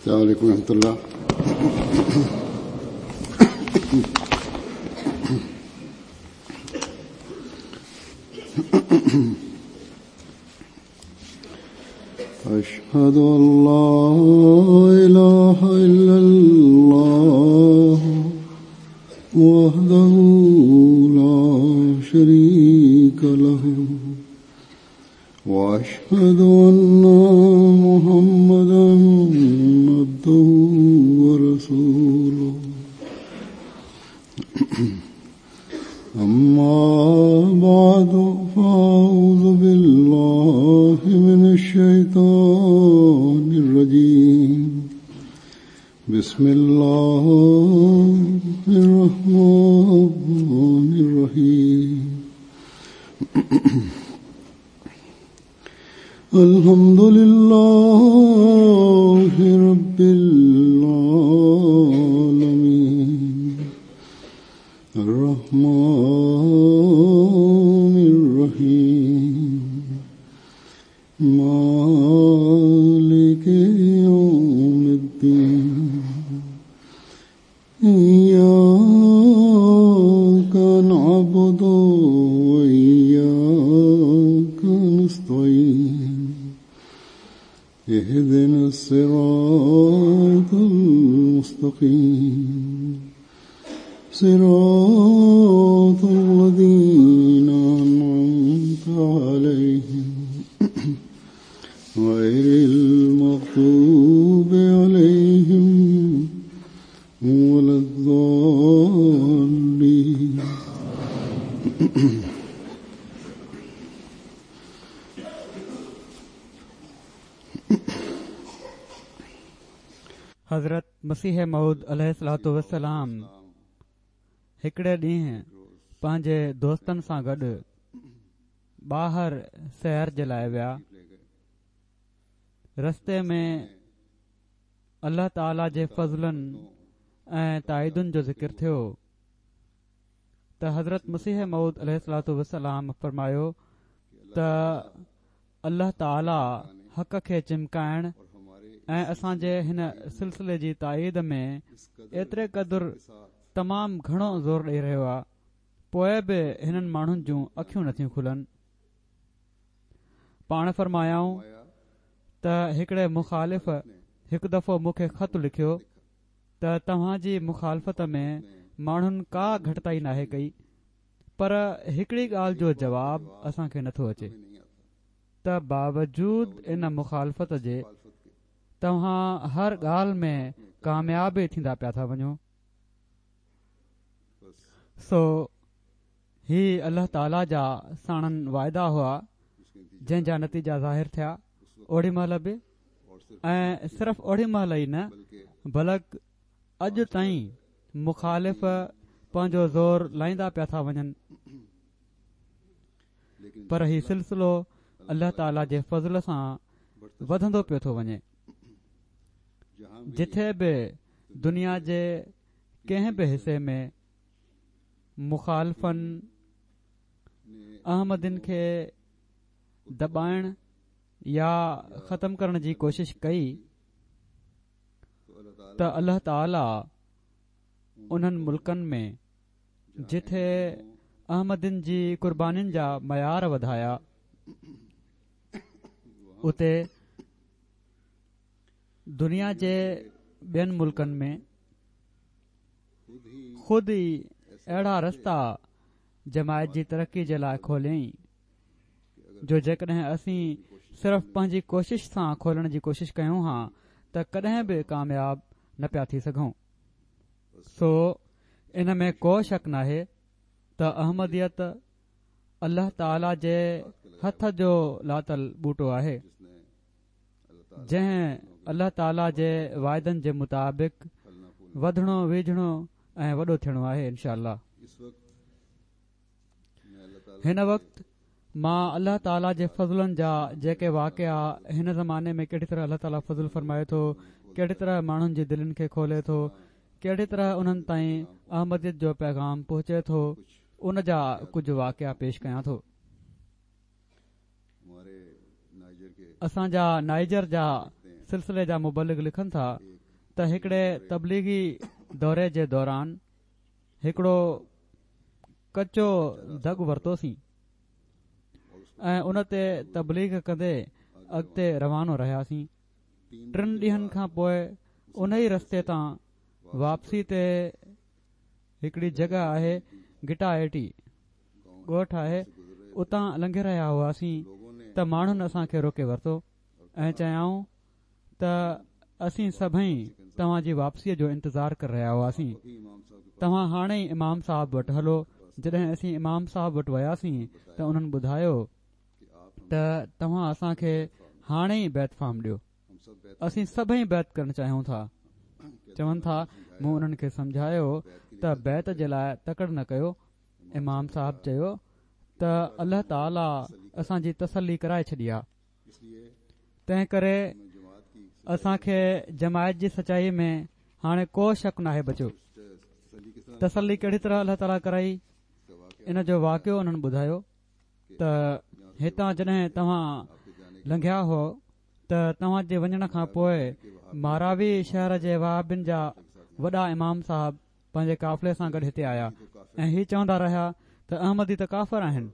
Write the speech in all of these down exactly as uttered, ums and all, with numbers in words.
السلام عليكم ورحمة الله. أشهد أن لا إله إلا الله وحده لا شريك له وأشهد أن محمدا عبده ورسوله. أما بعد فأعوذ بالله من الشيطان الرجيم. بسم الله الرحمن الرحيم. الحمد لله رب العالمين الرحمن الرحيم مالك يوم الدين إياك نعبد وإياك نستعين اهدنا الصراط المستقيم صراط الذين أنعمت عليهم غير المغضوب عليهم ولا الضالين. حضرت مسيح موعود عليه الصلوة والسلام هڪڙي ڏينهن پنهنجي دوستن سان گڏ ٻاهر سير جي لاءِ ويا. رستي ۾ الله تعاليٰ جي فضلن ۽ تائيدن جو ذڪر ٿيو ته حضرت مسيح موعود عليه الصلوة والسلام فرمايو ته الله تعاليٰ حق کي چمڪائڻ ۽ اسان جي هن سلسلي جي تائيد ۾ ايتري قدر تمام گهڻو زور ڏيئي رهيو آهي، پوءِ به هنن ماڻهن جون اکيون نٿيون کلن. پاڻ فرمايائون ته هڪڙي مخالف هڪ دفعو مون کي خط لکيو ته توهان جي مخالفت ۾ ماڻهن ڪا گهٽتائي ناهي ڪئي، پر هڪڙي ڳالهه جو جواب اسان کي نٿو اچي ته باوجود ان مخالفت جي توهان هر ڳالهه ۾ ڪامياب ٿيندا پيا ٿا وڃو. سو هي الله تعاليٰ جا ساڻن واعدا هئا جنهن جا نتيجا ظاهر ٿيا اوڏي مهل به، ۽ صرف اوڏي مهل ئي نه بلڪ اڄ تائين مخالف پنهنجو زور لائيندا پيا ٿا وڃن، پر هي سلسلو الله تعاليٰ جي فضل سان وڌندو پيو ٿو وڃي. جٿي به دنيا جي ڪنهن به حصي ۾ مخالفن احمدين کي دٻائڻ يا ختم ڪرڻ جي ڪوشش ڪئي ته الله تعاليٰ انهن ملڪن ۾ جٿي احمدين جي قربانين جا معيار وڌايا اتي دنيا جي ٻين ملڪن ۾ خود ئي اهڙا رستا جماعت جي ترقي جي لاءِ کوليائين جو جيڪڏهن اسين صرف پنهنجي ڪوشش سان کولڻ جي ڪوشش ڪيون ها ته ڪڏهن به ڪامياب نه پيا ٿي سگهون. سو ان ۾ ڪو شڪ ناهي ته احمديت الله تعاليٰ جي هٿ جو لاتل ٻوٽو آهي، جنهن الله تعاليٰ جي واعدن جي مطابق وڌڻو ويجهڻو ۽ وڏو ٿيڻو آهي انشاء الله. هن وقت مان الله تعاليٰ جي فضلن جا جيڪي واقعا هن زماني ۾ ڪهڙي طرح الله تعاليٰ فضل فرمائي ٿو، ڪهڙي طرح ماڻهن جي دلين کي کولي ٿو، ڪهڙي طرح انهن تائين احمديت جو پيغام پهچي ٿو، ان جا ڪجهه واقعا پيش ڪيان ٿو. اسان جا نائيجر جا سلسلي جا مبلغ لکن ٿا ته هڪڙي تبليغي دوري جي دوران هڪڙو ڪچو دڳ ورتوسين ۽ ان تي تبليغ ڪندي اڳتي روانو رهياسين. ٽن ڏينهن کان پوءِ ان ئي رستي تان واپسي تي هڪڙي جڳهه آهي گٽا ايٽي ڳوٺ آهي، اتان لنگهي رهيا هئاسين ته ماڻهن اسان کي روڪي ورتو ۽ چيائون ته اسين سڀئي توهان جي واپسيءَ جو انتظار ڪري رهيا هئاسين، توهان هاڻي ئي امام صاحب وٽ هلو. جڏهن اسين امام صاحب وٽ وياسين ته انهن ٻڌايو ته توهان اسان کي هاڻي ئي بيعت فارم ڏيو، اسين سڀئي بيعت ڪرڻ چاهيون ٿا. چون ٿا مون انهن کي سمجهايو ته بيعت جي لاءِ تڪڙ نه ڪيو. امام صاحب چيو ته الله تعاليٰ اسان جي تسلي ڪرائي ڇڏي آهي، تنهن ڪري اسان کي جماعت جي سچائي ۾ هاڻي ڪو شڪ ناهي بچيو. تسلي ڪهڙي طرح الله تعاليٰ ڪرائي ان جو واقعو انهن ٻڌايو ته هتان جڏهن توهان لنگهيا هو ته توهان جي وڃڻ کان پوءِ ماراوي شهر جي وهابين جا وڏا امام صاحب پنهنجي قافلي سان گڏ هتي آيا ۽ هي چوندا رهيا ته احمدي ته ڪافر آهن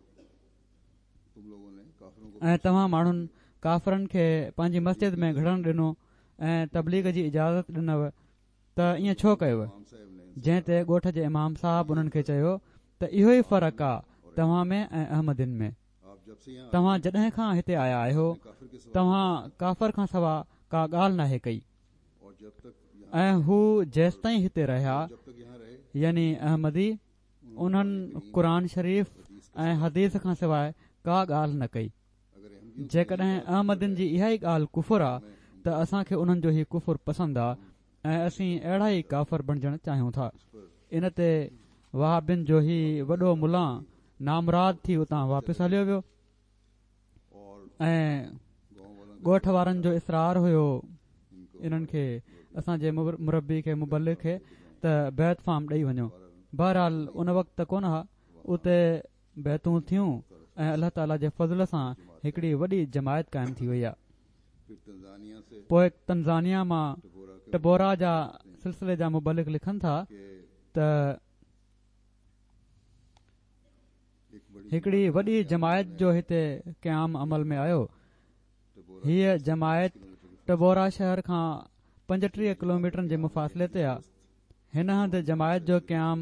۽ توهان ماڻهن ڪافرن کي پنهنجي مسجد ۾ گهڙڻ ڏنو ۽ تبليغ جي اجازت ڏنو ته ائين ڇو ڪيو؟ جنهن تي ڳوٺ جي امام صاحب انهن کي چيو ته اهو ئي فرق آهي توهان ۾ ۽ احمدين ۾. توهان جڏهن کان هتي آيا آهيو توهان ڪافر کان سوا ڪا ڳالهه ناهي ڪئي ۽ هو جيستائين هتي رهيا يعني احمدي انهن قرآن شريف ۽ حديث کان سواءِ ڪا ڳالهه نه ڪئي. جيڪڏهن احمدين جي اها ئي ڳالهه ڪفر آهي ته اسان کي انهن جو هي ڪفر پسند آهي ۽ اسين اهڙا ئي ڪافر بڻجڻ چاهيون ٿا. ان تي وهابين جو هي وڏو ملان نامراد ٿي اتان واپس هليو ويو ۽ ڳوٺ وارن جو اصرار هيو انهن کي اسان جي مربي کي مبلغ کي ته بيعت فارم ڏيئي وڃو. بهرحال ان وقت ته ڪونه ها، اتي بيعتون ٿيون ۽ الله تعاليٰ جي فضل سان هڪڙي وڏي جماعت قائم ٿي وئي آهي. پوءِ تنزانيا مان ٽبورا جا سلسلي جا مبلغ لکن ٿا ته هڪڙي وڏي جماعت جو هتي قيام عمل ۾ آيو. هيءَ جماعت ٽبورا شهر کان پنجٽيهه ڪلوميٽرن جي مفاصلي تي آهي. هن هنڌ جماعت جو قيام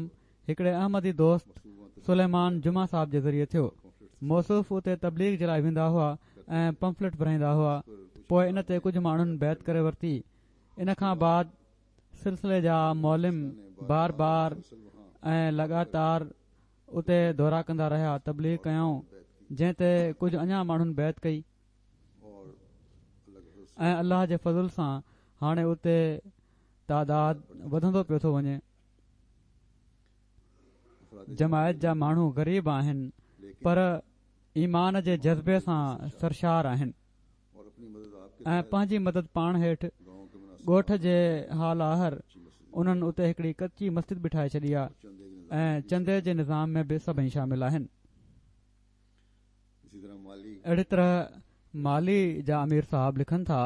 هڪڙي احمدي دوست سليمان جمعه صاحب جي ذريعي ٿيو. موصوف اتي تبليغ جي لاءِ ويندا هئا ۽ پمفليٽ ورهائيندا هئا. پوءِ ان تي ڪجهه ماڻهن بيعت ڪري ورتي. ان کان بعد سلسلي جا معلم بار بار ۽ لڳاتار اتي دورا ڪندا رهيا، تبليغ ڪيائون، جنهن تي ڪجهه اڃا ماڻهن بيعت ڪئي ۽ الله جي فضل سان هاڻي اتي تعداد وڌندو پيو ٿو وڃي. جماعت جا ماڻهو غريب آهن پر ايمان جي جذبي سان سرشار آهن ۽ پنهنجي مدد پاڻ هيٺ ڳوٺ جي حال آهر انهن اتي هڪڙي ڪچي مسجد به ٺاهي ڇڏي آهي ۽ چندي جي نظام ۾ به سڀئي شامل آهن. اهڙي طرح مالي جا امير صاحب لکن ٿا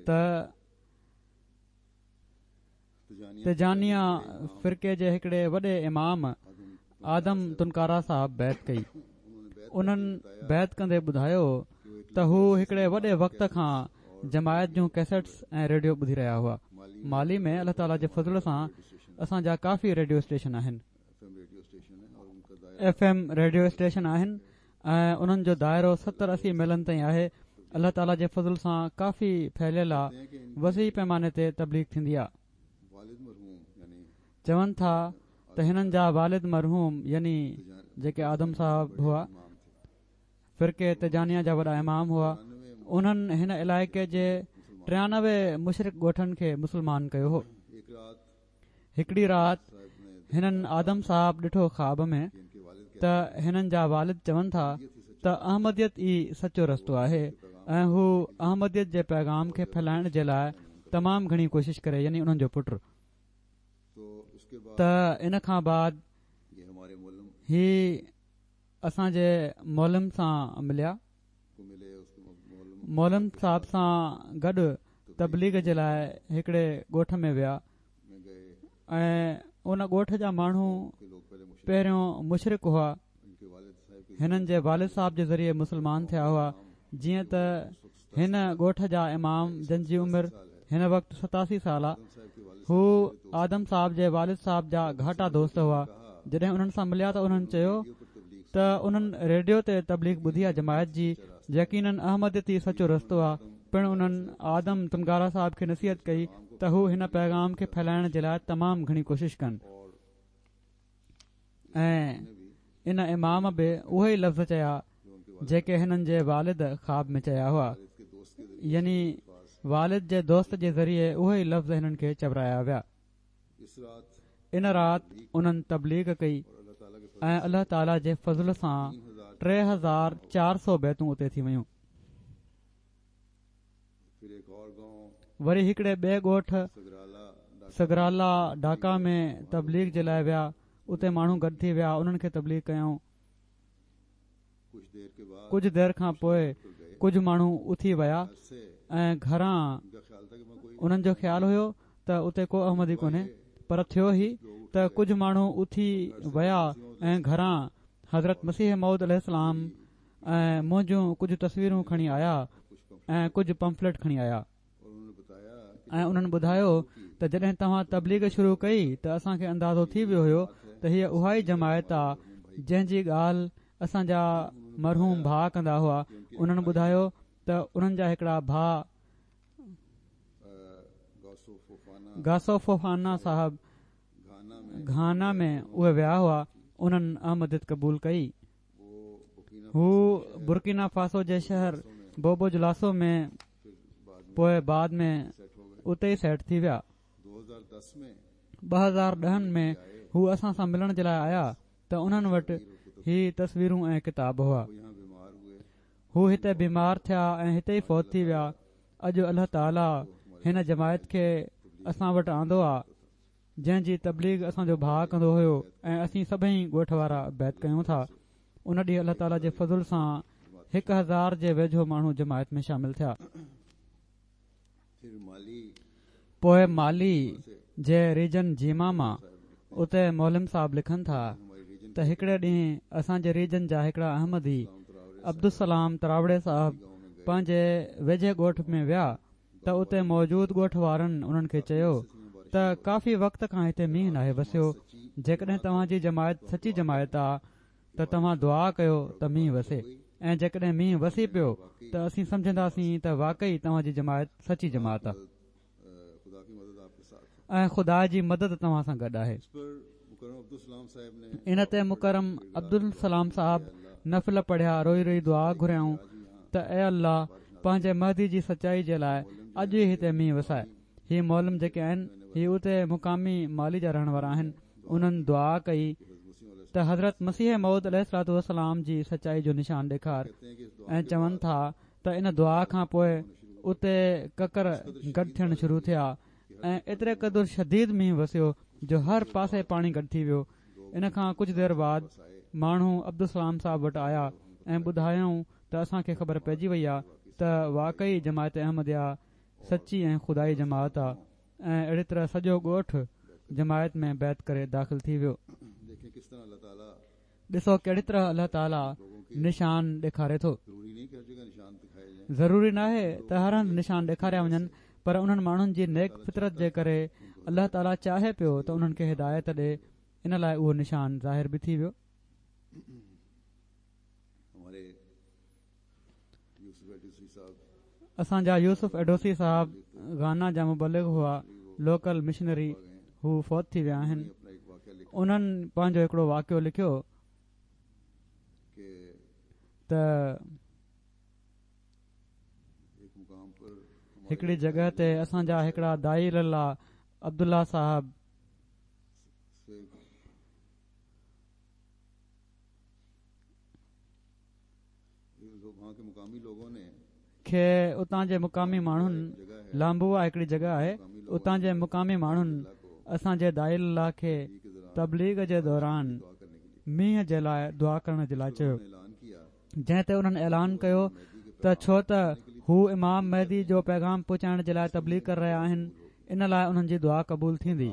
ته تجانيه فرقي جي هڪڙي وڏي امام آدم تنڪارا صاحب بيعت ڪئي. انهن بيعت ڪندي ٻڌايو ته هو هڪڙي وڏي وقت کان جماعت جون ڪيسٽس ۽ ريڊيو ٻڌي رهيا هئا. مالي ۾ الله تعاليٰ جي فضل سان اسان جا ڪافي ريڊيو اسٽيشن آهن، ايف ايم ريڊيو اسٽيشن آهن ۽ انهن جو دائرو ستر اسي ميلن تائين آهي. الله تعاليٰ جي فضل سان ڪافي ڦهليل آهي، وسيع پيماني تي تبليغ ٿيندي آهي. چون ٿا ته هنن جا والد مرحوم يعني جيڪي آدم صاحب هئا فرقي تجانيه جا وڏا امام هئا، انهن هن علائقي جي ٽيانوي مشرڪ ڳوٺن کي مسلمان ڪيو هو. هڪڙي رات هنن آدم صاحب ڏٺو خواب ۾ ته هنن جا والد چون ٿا ته احمديت ئي سچو رستو آهي ۽ هو احمديت جي پيغام کي ڦهلائڻ جي لاءِ تمام گهڻي ڪوشش ڪري، يعني انهن جو پٽ. ته ان کان بعد هي اسان جي معلم سان مليا. معلم صاحب سان گڏ تبليغ جي لاءِ هڪڙي ڳوٺ ۾ ويا ۽ ان ڳوٺ جا ماڻهو پهريون مشرڪ هئا. هنن جي والد صاحب جي ذريعي مسلمان ٿيا هئا. جيئن ته هن ڳوٺ جا امام جن جي عمر هن وقت ستاسي سال آ، هو آدم صاحب جي والد صاحب جا گهاٽا دوست هئا. جڏهن انهن سان مليا ته انهن چيو ته انهن ريڊيو تي تبليغ ٻڌي آ جماعت جي، يقينن احمديت ئي سچو رستو آ. پڻ انهن آدم تنگارا صاحب کي نصيحت ڪئي ته هو هن پيغام کي ڦهلائڻ جي لاءِ تمام گهڻي ڪوشش ڪن ۽ ان امام به اهي ئي لفظ چيا جيڪي هنن جي والد خواب ۾ چيا هئا، يعني والد جي دوست جي ذريعي اهي ئي لفظ هنن کي چورايا ويا. ان رات انهن تبليغ ڪئي ۽ الله تعاليٰ جي فضل سان ٽي هزار چار سؤ بيتون اتي ٿي ويون. وري هڪڙي ٻئي ڳوٺ سگرالا ڍاڪا ۾ تبليغ جي لاءِ ويا. اتي ماڻهو گڏ ٿي ويا، انهن کي تبليغ ڪيائون. ڪجهه دير کان پوءِ ڪجهه ماڻهو اٿي ويا ۽ گهران انهن جو خيال هيو ته اتي ڪو احمدي ڪونهي، پر ٿيو هي ته ڪجهه ماڻهو اٿي ويا ۽ گهران حضرت مسيح موعود عليه السلام ۽ منهنجون ڪجهه تصويرون کڻي آيا ۽ ڪجهه پمفليٽ کڻي آيا ۽ انهن ٻڌايو ته جڏهن توهان تبليغ شروع ڪئي ته اسان کي اندازو ٿي ويو هيو ته هيءَ اها ئي جماعت آ جنهن جي ڳالهه اسان جا مرحوم ڀاءُ ڪندا هئا. انهن ٻڌايو ته انهن جا هڪڙا ڀاءُ گاسو فوفانا صاحب گهانا ۾ اهي ويا هئا، انهن احمديت قبول ڪئي. هو برڪينا فاسو جي شهر بوبو جلاسو ۾ پوءِ بعد ۾ اتي ئي سيٽ ٿي ويا. ٻه هزار ڏهن ۾ هو اسان سان ملڻ جي لاءِ آيا ته انهن وٽ هي تصويرون ۽ ڪتاب هئا. هو هتي بيمار ٿيا ۽ هتي ئي فوت ٿي ويا. اڄ الله تعاليٰ هن جماعت کي اسان وٽ آندو آ جنهن جي تبليغ اسان جو ڀاءُ ڪندو هيو ۽ اسين سڀئي ڳوٺ وارا بيعت ڪيون ٿا. ان ڏينهن الله تعاليٰ جي فضل سان هڪ هزار جي ويجهو ماڻهو جماعت ۾ شامل ٿيا. پوءِ مالي جي ريجن جيما مان اتي مولم صاحب لکن ٿا ته هڪڙي ڏينهن اسان جي ريجن جا هڪڙا احمدي عبدالسلام تراوڙي صاحب پنهنجي ويجهي ڳوٺ ۾ ويا ته اتي موجود ڳوٺ وارن انهن کي چيو ته ڪافي وقت کان هتي مينهن ناهي وسيو، جيڪڏهن توهان جي جماعت سچي جماعت آ ته توهان دعا ڪيو ته مينهن وسي، ۽ جيڪڏهن مينهن وسي پيو ته اسين سمجهنداسين ته واقعي توهان جي جماعت سچي جماعت آ ۽ خدا جي مدد توهان سان گڏ آهي. ان تي مڪرم عبدالسلام صاحب نفل پڙهيا، روئي روئي دعا گهريائون ته اي الله پنهنجي مهدي جي سچائي جي لاءِ اڄ ئي هتي مينهن وسائي. هي مولم جيڪي آهن هي اتي مقامي مالي جا رهڻ وارا آهن. انهن دعا ڪئي ته حضرت مسيح موعود عليه الصلوة والسلام جي سچائي جو نشان ڏيکار، ۽ چون ٿا ته ان دعا کان پوءِ اتي ڪڪر گڏ ٿيڻ شروع ٿيا ۽ ايتري قدر شديد مينهن وسيو جو هر پاسي پاڻي گڏ ٿي ويو. ان کان ڪجهه دير بعد ماڻهو عبدالسلام صاحب وٽ آيا ۽ ٻڌايائون ته اسان کي خبر پئجي وئي آ ته واقعي جماعت احمديه سچي ۽ خدائي جماعت آ، ۽ اهڙي طرح سڄو ڳوٺ جماعت ۾ بيعت ڪري داخل ٿي ويو. ڏسو ڪهڙي طرح الله تعاليٰ نشان ڏيکاري ٿو. ضروري ناهي ته هر هنڌ نشان ڏيکاريا وڃن، پر انهن ماڻهن جي نيڪ فطرت جي ڪري الله تعاليٰ چاهي پيو ته انهن کي هدايت ڏي، ان لاءِ اهو نشان ظاهر به ٿي ويو. اسان جا يوسف ايڊوسي صاحب گانا جا مبلغ هئا، لوڪل مشنري، هو فوت ٿي ويا آهن. انهن پنهنجو هڪڙو واقعو لکيو ته هڪڙي جڳهه تي اسان جا هڪڙا داعي الله عبدالله صاحب کي اتان جي مقامي ماڻهن، لامبوا هڪڙي جڳهه آهي، اتان جي مقامي ماڻهن اسان جي داعي الله کي تبليغ جي دوران مينهن جي لاءِ دعا ڪرڻ جي لاءِ چيو، جنهن تي انهن اعلان ڪيو ته ڇو ته هو امام مهدي جو پيغام پهچائڻ جي لاءِ تبليغ ڪري رهيا آهن، ان لاءِ انهن جي دعا قبول ٿيندي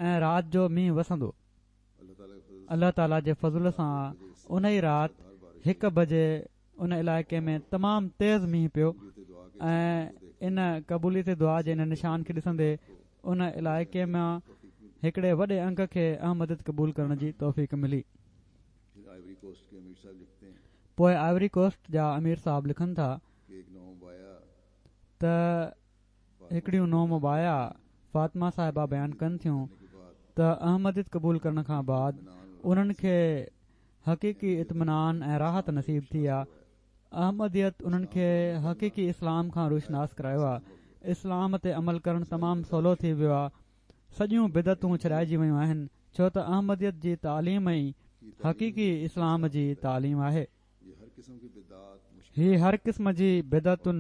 ۽ رات جو مينهن وسندو. الله تعاليٰ جي فضل سان ان ئي رات هڪ بجي ان علائقي ۾ تمام تيز مينهن پيو ۽ ان قبوليت دعا جي ان نشان کي ڏسندي ان علائقي مان هڪڙي وڏي انگ کي احمديت قبول ڪرڻ جي توفيق ملي. پوءِ آئيوري ڪوسٽ جا امير صاحب لکن ٿا ته هڪڙيون نومبائعه فاطمه صاحبه بيان ڪن ٿيون ته احمديت قبول ڪرڻ کان بعد انهن کي حقيقي اطمينان ۽ راحت نصيب ٿي آهي. احمديت انهن کي حقيقي اسلام کان روشناس ڪرايو آهي. اسلام تي عمل ڪرڻ تمام سولو ٿي ويو آهي. سڄيون بدعتون ڇڏائجي ويون آهن، ڇو ته احمديت جي تعليم ئي حقيقي اسلام جي تعليم آهي. هي هر قسم جي بدعتن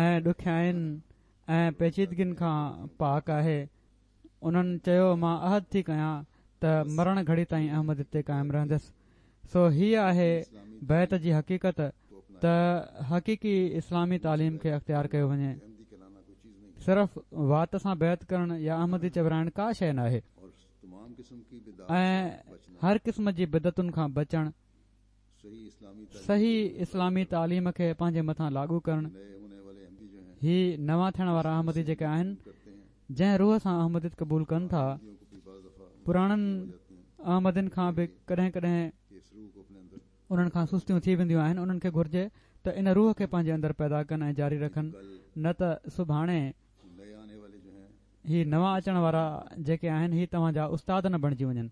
۽ ڏکيائين ۽ پيچيدگين کان پاڪ آهي. انهن چيو مان عهد ٿي ڪيان ته مرڻ گهڙي تائين احمديت تي قائم رهندس. سو هيءَ آهي بيعت جي حقيقت ته حقيقي اسلامي تعليم کي اختيار ڪيو وڃي. صرف وات سان بيعت ڪرڻ يا احمدي چورائڻ ڪا شيءِ نه آهي ۽ هر قسم جي بدعتن کان بچڻ، صحيح اسلامي تعليم کي پنهنجي مٿان لاڳو ڪرڻ. هي نوان ٿيڻ وارا احمدي جيڪي آهن، جنهن روح سان احمديت قبول ڪن ٿا، پراڻن احمدين کان به ڪڏهن ڪڏهن انهن کان سستيون ٿي وينديون آهن. انهن کي گهرجي ته ان روح کي پنهنجي اندر پيدا ڪن ۽ جاري رکن، نه ته سڀاڻي هي نوان اچڻ وارا جيڪي آهن هي توهان جا استاد نه بڻجي وڃن.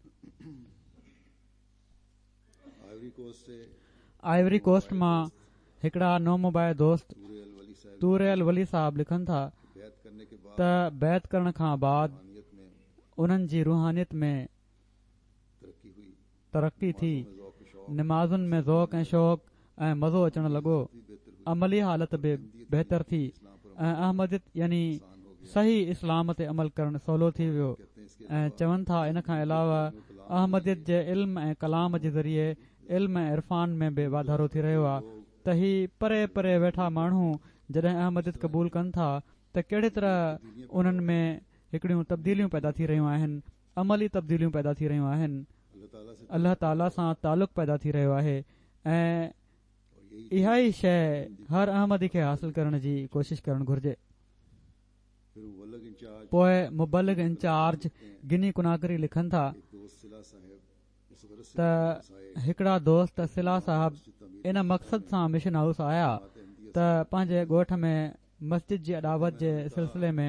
آئيوري ڪوسٽ مان هڪڙا نومبائع دوست تور الولي صاحب لکن ٿا ته بيعت ڪرڻ کان بعد انهن جي روحانيت ۾ ترقي ٿي، نمازن ۾ ذوق ۽ شوق ۽ مزو اچڻ لڳو، عملي حالت به بهتر ٿي ۽ احمديت يعني صحيح اسلام تي عمل ڪرڻ سولو ٿي ويو. ۽ چون ٿا ان کان علاوه احمديت جي علم ۽ ڪلام جي ذريعي علم ۽ عرفان ۾ به واڌارو ٿي رهيو آهي ته هي پري پري ويٺا ماڻهو جڏهن احمديت قبول ڪن ٿا ته ڪهڙي طرح انهن ۾ هڪڙيون تبديليون پيدا ٿي رهيون آهن، عملي تبديليون پيدا ٿي رهيون آهن، الله تعاليٰ سان تعلق پيدا ٿي رهيو آهي ۽ اها ئي شيءِ هر احمدي کي حاصل ڪرڻ جي ڪوشش ڪرڻ گهرجي. پوءِ مبلغ انچارج گني ڪناڪري لکن ٿا ته هڪڙا دوست صلاح صاحب ان مقصد سان مشن هائوس آيا ته پنهنجي ڳوٺ ۾ مسجد جي اڏاوت جي سلسلي ۾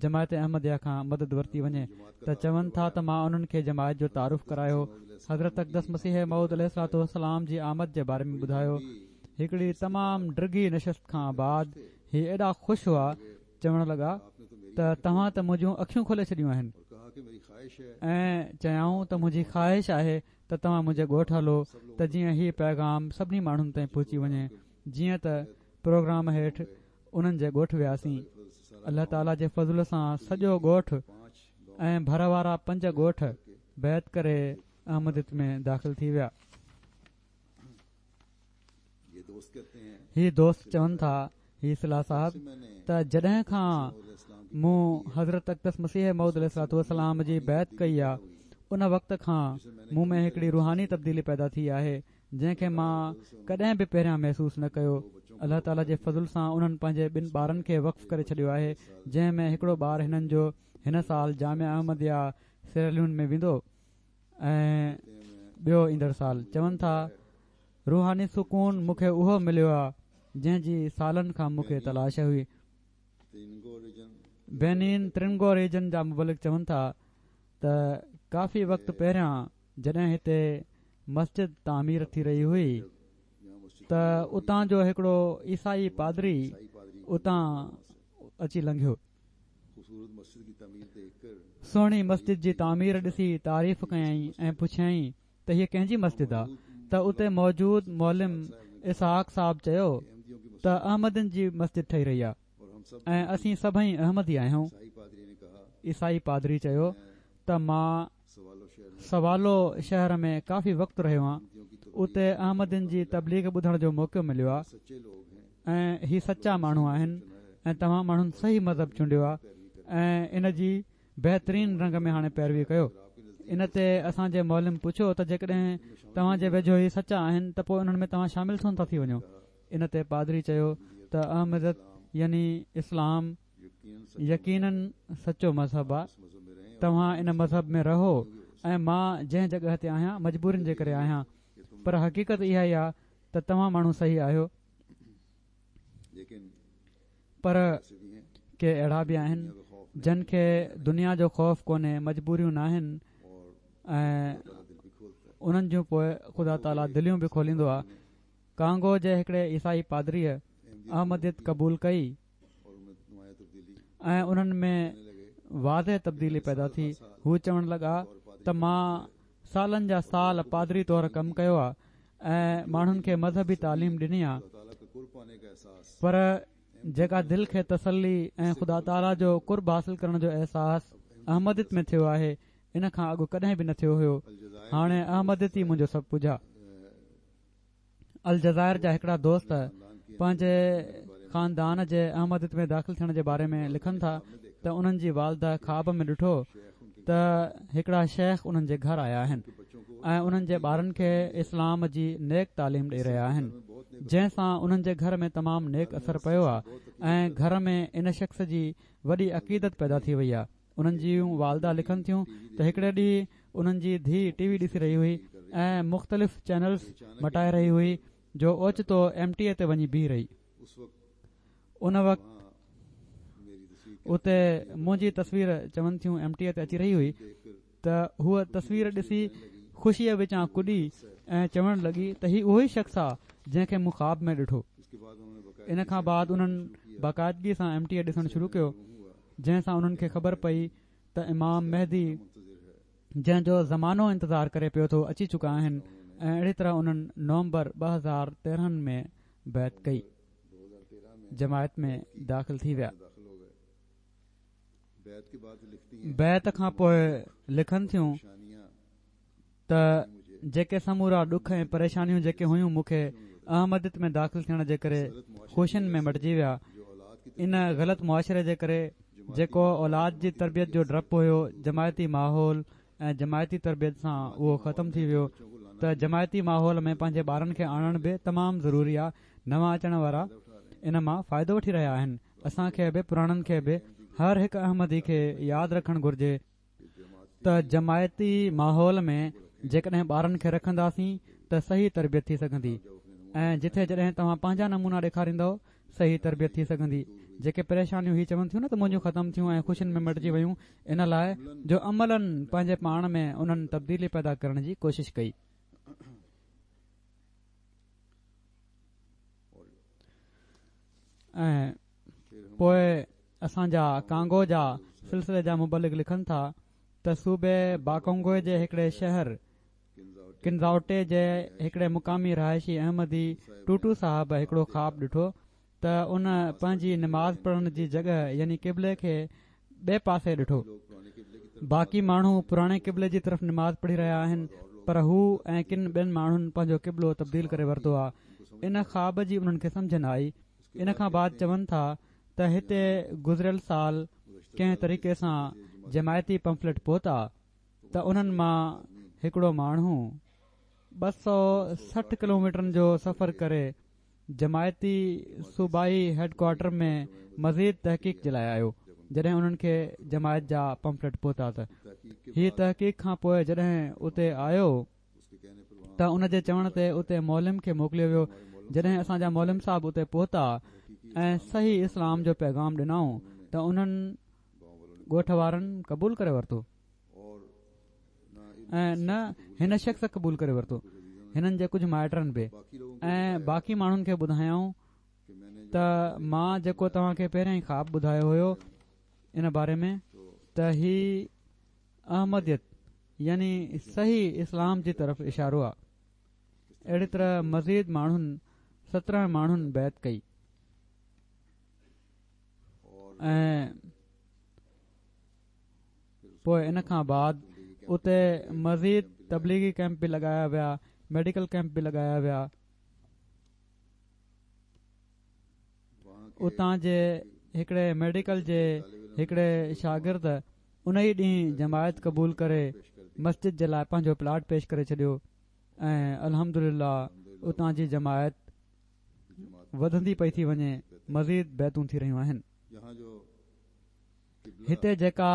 جماعت احمديه کان مدد ورتي وڃي. ته چون ٿا ته مان انهن کي جماعت جو تعارف ڪرايو، حضرت اقدس مسيح موعود عليه الصلوة والسلام جي آمد جي باري ۾ ٻڌايو. هڪڙي تمام ڊگهي نشست کان بعد هي ايڏا خوش هئا، چوڻ لڳا ته توهان ته منهنجون اکيون کولي ڇڏيون آهن ۽ چيائون ته منهنجي خواهش آهي ته توهان منهنجي ڳوٺ هلو ته جيئن هي پيغام سڀني ماڻهن تائين پهچي وڃي. جيئن ته پروگرام هيٺ انهن جي ڳوٺ وياسين. الله تعاليٰ جي فضل سان سڄو ڳوٺ ۽ ڀر وارا پنج ڳوٺ بيعت ڪري احمديت ۾ داخل ٿي ويا. هي دوست چون ٿا، هي صلاح صاحب، ته جڏهن کان مون حضرت اقدس مسيح موعود عليه الصلوة والسلام جي بيعت ڪئي آهي، ان وقت کان مون ۾ هڪڙي روحاني تبديلي پيدا ٿي آهي جنهن کي مان ڪڏهن به پهريان محسوس نه ڪيو. الله تعاليٰ جي فضل سان انهن پنهنجي ٻن ٻارن کي وقف ڪري ڇڏيو آهي، جنهن ۾ هڪڙو ٻار هنن جو هن سال جامعه احمديه سيراليون ۾ ويندو ۽ ٻيو ايندڙ سال. چون ٿا روحاني سڪون مون کي اهو مليو آهي جنهن جي سالن کان مون کي تلاش هئي. بينين ترنگو ريجن جا مبلغ چون ٿا ته ڪافي وقت پهريان جڏهن هتي مسجد تعمير ٿي رهي هئي ته اتان جو هڪڙو عيسائي پادري اتان اچي لنگهيو. سهڻي مسجد جي تعمير ڏسي تعريف ڪيائين ۽ پڇيائين ته هيءَ ڪنهن جي مسجد آهي؟ ته اتي موجود معلم اسحاق صاحب چيو ته احمدين جي مسجد ٺهي رهي آهي ۽ اسين سڀئي احمدي آهيون. عيسائي پادري چيو ته مان سوالو شهر ۾ ڪافي وقت رهيو آهيان، اتي احمدين جي تبليغ ٻڌڻ جو موقعو مليو آهي ۽ هي سچا ماڻهو آهن ۽ توهان ماڻهن صحيح مذهب چونڊيو آهي ۽ ان جي بهترين رنگ ۾ هاڻي پيروي ڪيو. ان تي اسان جي معلم پڇيو ته جيڪڏهن توهان جي ويجهو هي سچا آهن ته پوءِ انهن ۾ توهان شامل ڇو نٿا ٿي وڃو؟ ان تي پادري چيو ته احمديت يعني اسلام يقينن سچو مذهب آهي، توهان ان مذهب ۾ رهو ۽ مان جنهن جڳهه تي آهيان مجبورين جي ڪري آهيان، پر حقيقت اها ئي آهي ته توهان ماڻهو صحيح آهيو. پر ڪي اهڙا به آهن جن کي دنيا جو خوف ڪونهي، مجبوريون ناهن ۽ انهن جون پوءِ خدا تعاليٰ دليون به کوليندو آهي. ڪانگو جي هڪڙي عيسائي پادريءَ احمديت قبول ڪئي ۽ انهن ۾ واضح تبديلي پيدا ٿي. هو چوڻ لڳا ته مان سالن جا سال پادري طور ڪم ڪيو آهي ۽ ماڻهن کي مذهبي تعليم ڏني آهي، پر جيڪا دل کي تسلي ۽ خدا تعاليٰ جو قرب حاصل ڪرڻ جو احساس احمديت ۾ ٿيو آهي ان کان اڳ ڪڏهن به نه ٿيو هيو. هاڻي احمديت ئي منهنجو سڀ ڪجهه آهي. الجزائر جا هڪڙا دوست پنهنجي خاندان جي احمديت ۾ داخل ٿيڻ جي باري ۾ لکن ٿا ته انهن جي والده خواب ۾ ڏٺو ته هڪڙا شيخ انهن جي گهر آيا آهن ۽ انهن جي ٻارن کي اسلام جي نيڪ تعليم ڏئي رهيا آهن، جنهن سان انهن جي گهر ۾ تمام نيڪ اثر پيو آهي ۽ گهر ۾ ان شخص جي وڏي عقيدت پيدا ٿي وئي آهي. انهن جون والده لکن ٿيون ته هڪڙي ڏينهن انهن جي ڌيءُ ٽي وي ڏسي رهي هئي ۽ مختلف چينلز مٽائي رهي هئي جو اوچتو ايم ٽي اي تي وڃي بيهي رهي. ان وقت اتي منهنجي تصوير چون ٿيون ايم ٽي اي تي اچي رهي هئي ته هوءَ تصوير ڏسي خوشيءَ وچان ڪڏي ۽ چوڻ لڳي ته هي اهو ئي شخص آهي جنهن کي مون خواب ۾ ڏٺو. ان کان بعد انهن باقاعدگي سان ايم ٽي اي ڏسڻ شروع ڪيو، جنهن سان انهن کي خبر پئي ته امام مهدي جنهن جو زمانو انتظار ڪري پيو ٿو اچي چڪا آهن ۽ اهڙي طرح انهن نومبر ٻه هزار تيرهن ۾ بيعت ڪئي، جماعت ۾ داخل ٿي ويا. بيعت کان پوءِ لکن ٿيون ته جيڪي سمورا ڏک ۽ پريشانيون جيڪي هيون مون کي احمديت ۾ داخل ٿيڻ جي ڪري خوشين ۾ مٽجي ويا. ان غلط معاشري جي ڪري جيڪو اولاد جي تربيت جو ڊپ هيو، جماعتي ماحول ۽ جماعتي تربيت سان اهو ختم ٿي ويو. ته جماعتي ماحول ۾ پنهنجي ٻارن کي آڻڻ به تمام ضروري آهي. نوان اچڻ وارا ان مان فائدو وٺي رهيا آهن. اسان کي به پراڻن کي به هر هڪ احمدي کي ياد رکڻ گهرجي ته جماعتي ماحول ۾ جيڪڏهن ٻارن کي رکنداسين ته صحيح تربيت ٿي سگهندي ۽ جٿي جڏهن توهان پنهنجا نمونا ڏيکاريندؤ صحيح تربيت ٿي سگهندي. جيڪي پريشانيون هي چون ٿيون نه ته منهنجون ختم ٿيون ۽ خوشين ۾ مٽجي ويون، ان لاءِ جو عملاً پنهنجي پاڻ ۾ انهن تبديلي پيدا ڪرڻ جي ڪوشش ڪئي. ۽ پوءِ اسان جا ڪانگو جا سلسلي جا مبلغ لکن ٿا ته صوبي باڪونگو جي هڪڙي شهر ڪنزاوٽي جي هڪڙي مقامي رهائشي احمدي ٽوٽو صاحب هڪڙو خواب ڏٺو ته ان پنهنجي نماز پڙهڻ جي جڳهه يعني قبلي کي ٻئي پاسي ڏٺو. باقي ماڻهو پراڻي قبلي جي طرف نماز پڙهي رهيا آهن، پر هو ۽ ڪن ٻين ماڻهن پنهنجو قبلو تبديل ڪري ورتو آهي. ان خواب جي انهن کي سمجهه نه آئي. ان کان بعد چون ٿا ته هتي گذريل سال ڪنهن طريقي سان جماعتي پمفليٽ پهتا ته انهن مان هڪڙو ماڻهو ٻه سؤ سٺ ڪلوميٽرن جو سفر ڪري جماعتي صوبائي هيڊ ڪوارٽر ۾ مزيد تحقيق جي لاءِ آيو. جڏهن انهن کي جماعت جا پمفليٽ پهتا ته هي تحقيق کان پوءِ جڏهن اتي آيو ته ان جي چوڻ تي اتي معلم کي موڪليو ويو. جڏهن اسان جا معلم صاحب اتي پهتا ۽ صحيح اسلام جو پيغام ڏنائون ته انهن ڳوٺ وارن قبول ڪري ورتو ۽ نه هن شخص قبول ڪري ورتو، هنن جي ڪجهه مائٽن به ۽ باقي ماڻهن کي ٻڌايائون ته مان جيڪو توهان کي پهريان ئي خواب ٻڌايو هيو ان باري ۾ ته هي احمديت يعني صحيح اسلام جي طرف اشارو آهي. اهڙي طرح مزيد ماڻهن سترهن ماڻهن بيعت ڪئي ۽ پوءِ ان کان بعد اتي مزيد تبليغي ڪيمپ به لڳايا ويا، ميڊيڪل ڪيمپ به لڳايا ويا. اتان جي هڪڙي ميڊيڪل جي هڪڙي شاگرد ان ئي ڏينهن جماعت قبول ڪري مسجد جي لاءِ پنهنجو پلاٽ پيش ڪري ڇڏيو ۽ الحمدلله اتان جي جماعت وڌندي پئي ٿي وڃي، مزيد بيعتون ٿي رهيون آهن. هتي جيڪا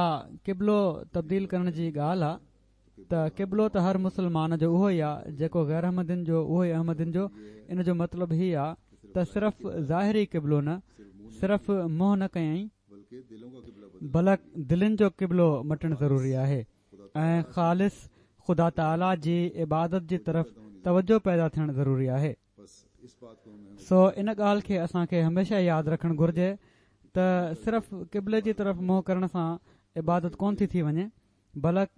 قبلو تبديل ڪرڻ جي ڳالهه آهي ته قبلو ته هر مسلمان جو اهو ئي آهي جيڪو غير احمدين جو اهو ئي احمدين جو. ان جو مطلب هي آهي ته صرف ظاهري قبلو نه، صرف منهن نه ڪيائين بلڪ دلين جو قبلو مٽڻ ضروري آهي ۽ خالص خدا تعاليٰ جي عبادت جي طرف توجه پيدا ٿيڻ ضروري آهي. سو ان ڳالهه کي اسان کي هميشه ياد رکڻ گهرجي ته صرف قبلي جي طرف منهن ڪرڻ سان عبادت ڪونه ٿي ٿي وڃي، بلڪ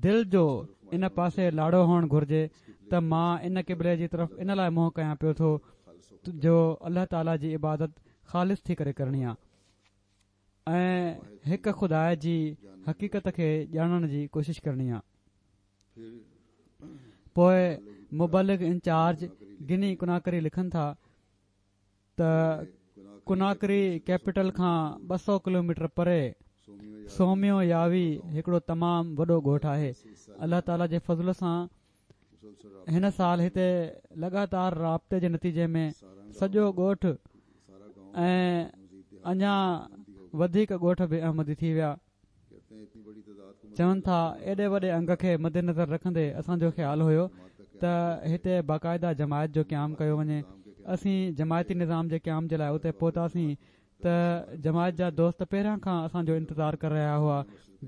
دل جو ان پاسي لاڙو هئڻ گهرجي ته مان ان قبلي جي طرف ان لاءِ منهن ڪيان پيو ٿو جو الله تعاليٰ جي عبادت خالص ٿي ڪري ڪرڻي آهي ۽ هڪ خدا جي حقيقت کي ڄاڻڻ جي ڪوشش ڪرڻي آهي. پوءِ مبلغ انچارج گني ڪناڪري لکن ٿا ته ڪناڪري ڪيپيٽل کان ٻه سؤ ڪلوميٽر پري سوميو ياوي هڪڙو تمام وڏو ڳوٺ آهي. الله تعاليٰ جي فضل سان هن سال هتي لڳاتار رابطي جي نتيجي ۾ سڄو ڳوٺ ۽ اڃا وڌيڪ ڳوٺ به احمدي ٿي ويا. چون ٿا ايڏي وڏي انگ کي مدنظر رکندي اسان جو خيال هيو ته هتي باقاعده جماعت جو قيام ڪيو وڃي. اسين جماعتي نظام جي قيام جي لاءِ اتي پهتاسين ته جماعت جا دوست پهريان کان اسان جو انتظار ڪري رهيا هئا،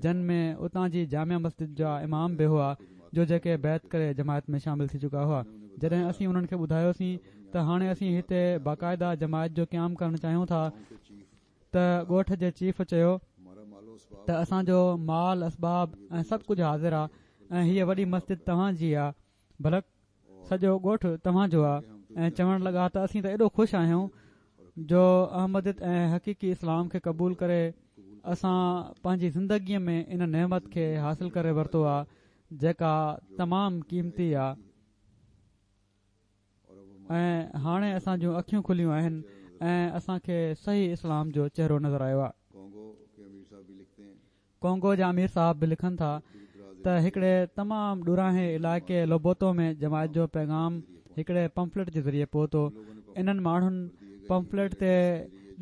جن ۾ اتان جي جامع مسجد جا امام به هئا جو جيڪي بيعت ڪري جماعت ۾ شامل ٿي چڪا هئا. جڏهن اسين انهن کي ٻڌايوسين ته هاڻي اسين هتي باقاعده جماعت جو قيام ڪرڻ چاهيون ٿا ته ڳوٺ جي چيف چيو ته اسان جو مال اسباب ۽ سڀ ڪجهه حاضر آهي ۽ هيءَ وڏي مسجد توهان جي آهي، بلڪ سڄو ڳوٺ توهان جو آهي. ۽ چوڻ لڳا ته اسين ته ايڏو خوش آهيون جو احمديت ۽ حقيقي اسلام کي قبول ڪري اسان پنهنجي زندگيءَ ۾ ان نعمت کي حاصل ڪري ورتو آهي جيڪا تمام قيمتي آهي ۽ هاڻي اسان جون اکيون کليون آهن ۽ اسان کي صحيح اسلام جو چهرو نظر آيو آهي. ڪونگو جا امير صاحب به لکن ٿا ته هڪڙي تمام ڏورانهين علائقي لوبوتو ۾ جماعت جو پيغام هڪڙي پمفليٽ جي ذريعي پهتو. انهن ماڻهن پمفليٽ تي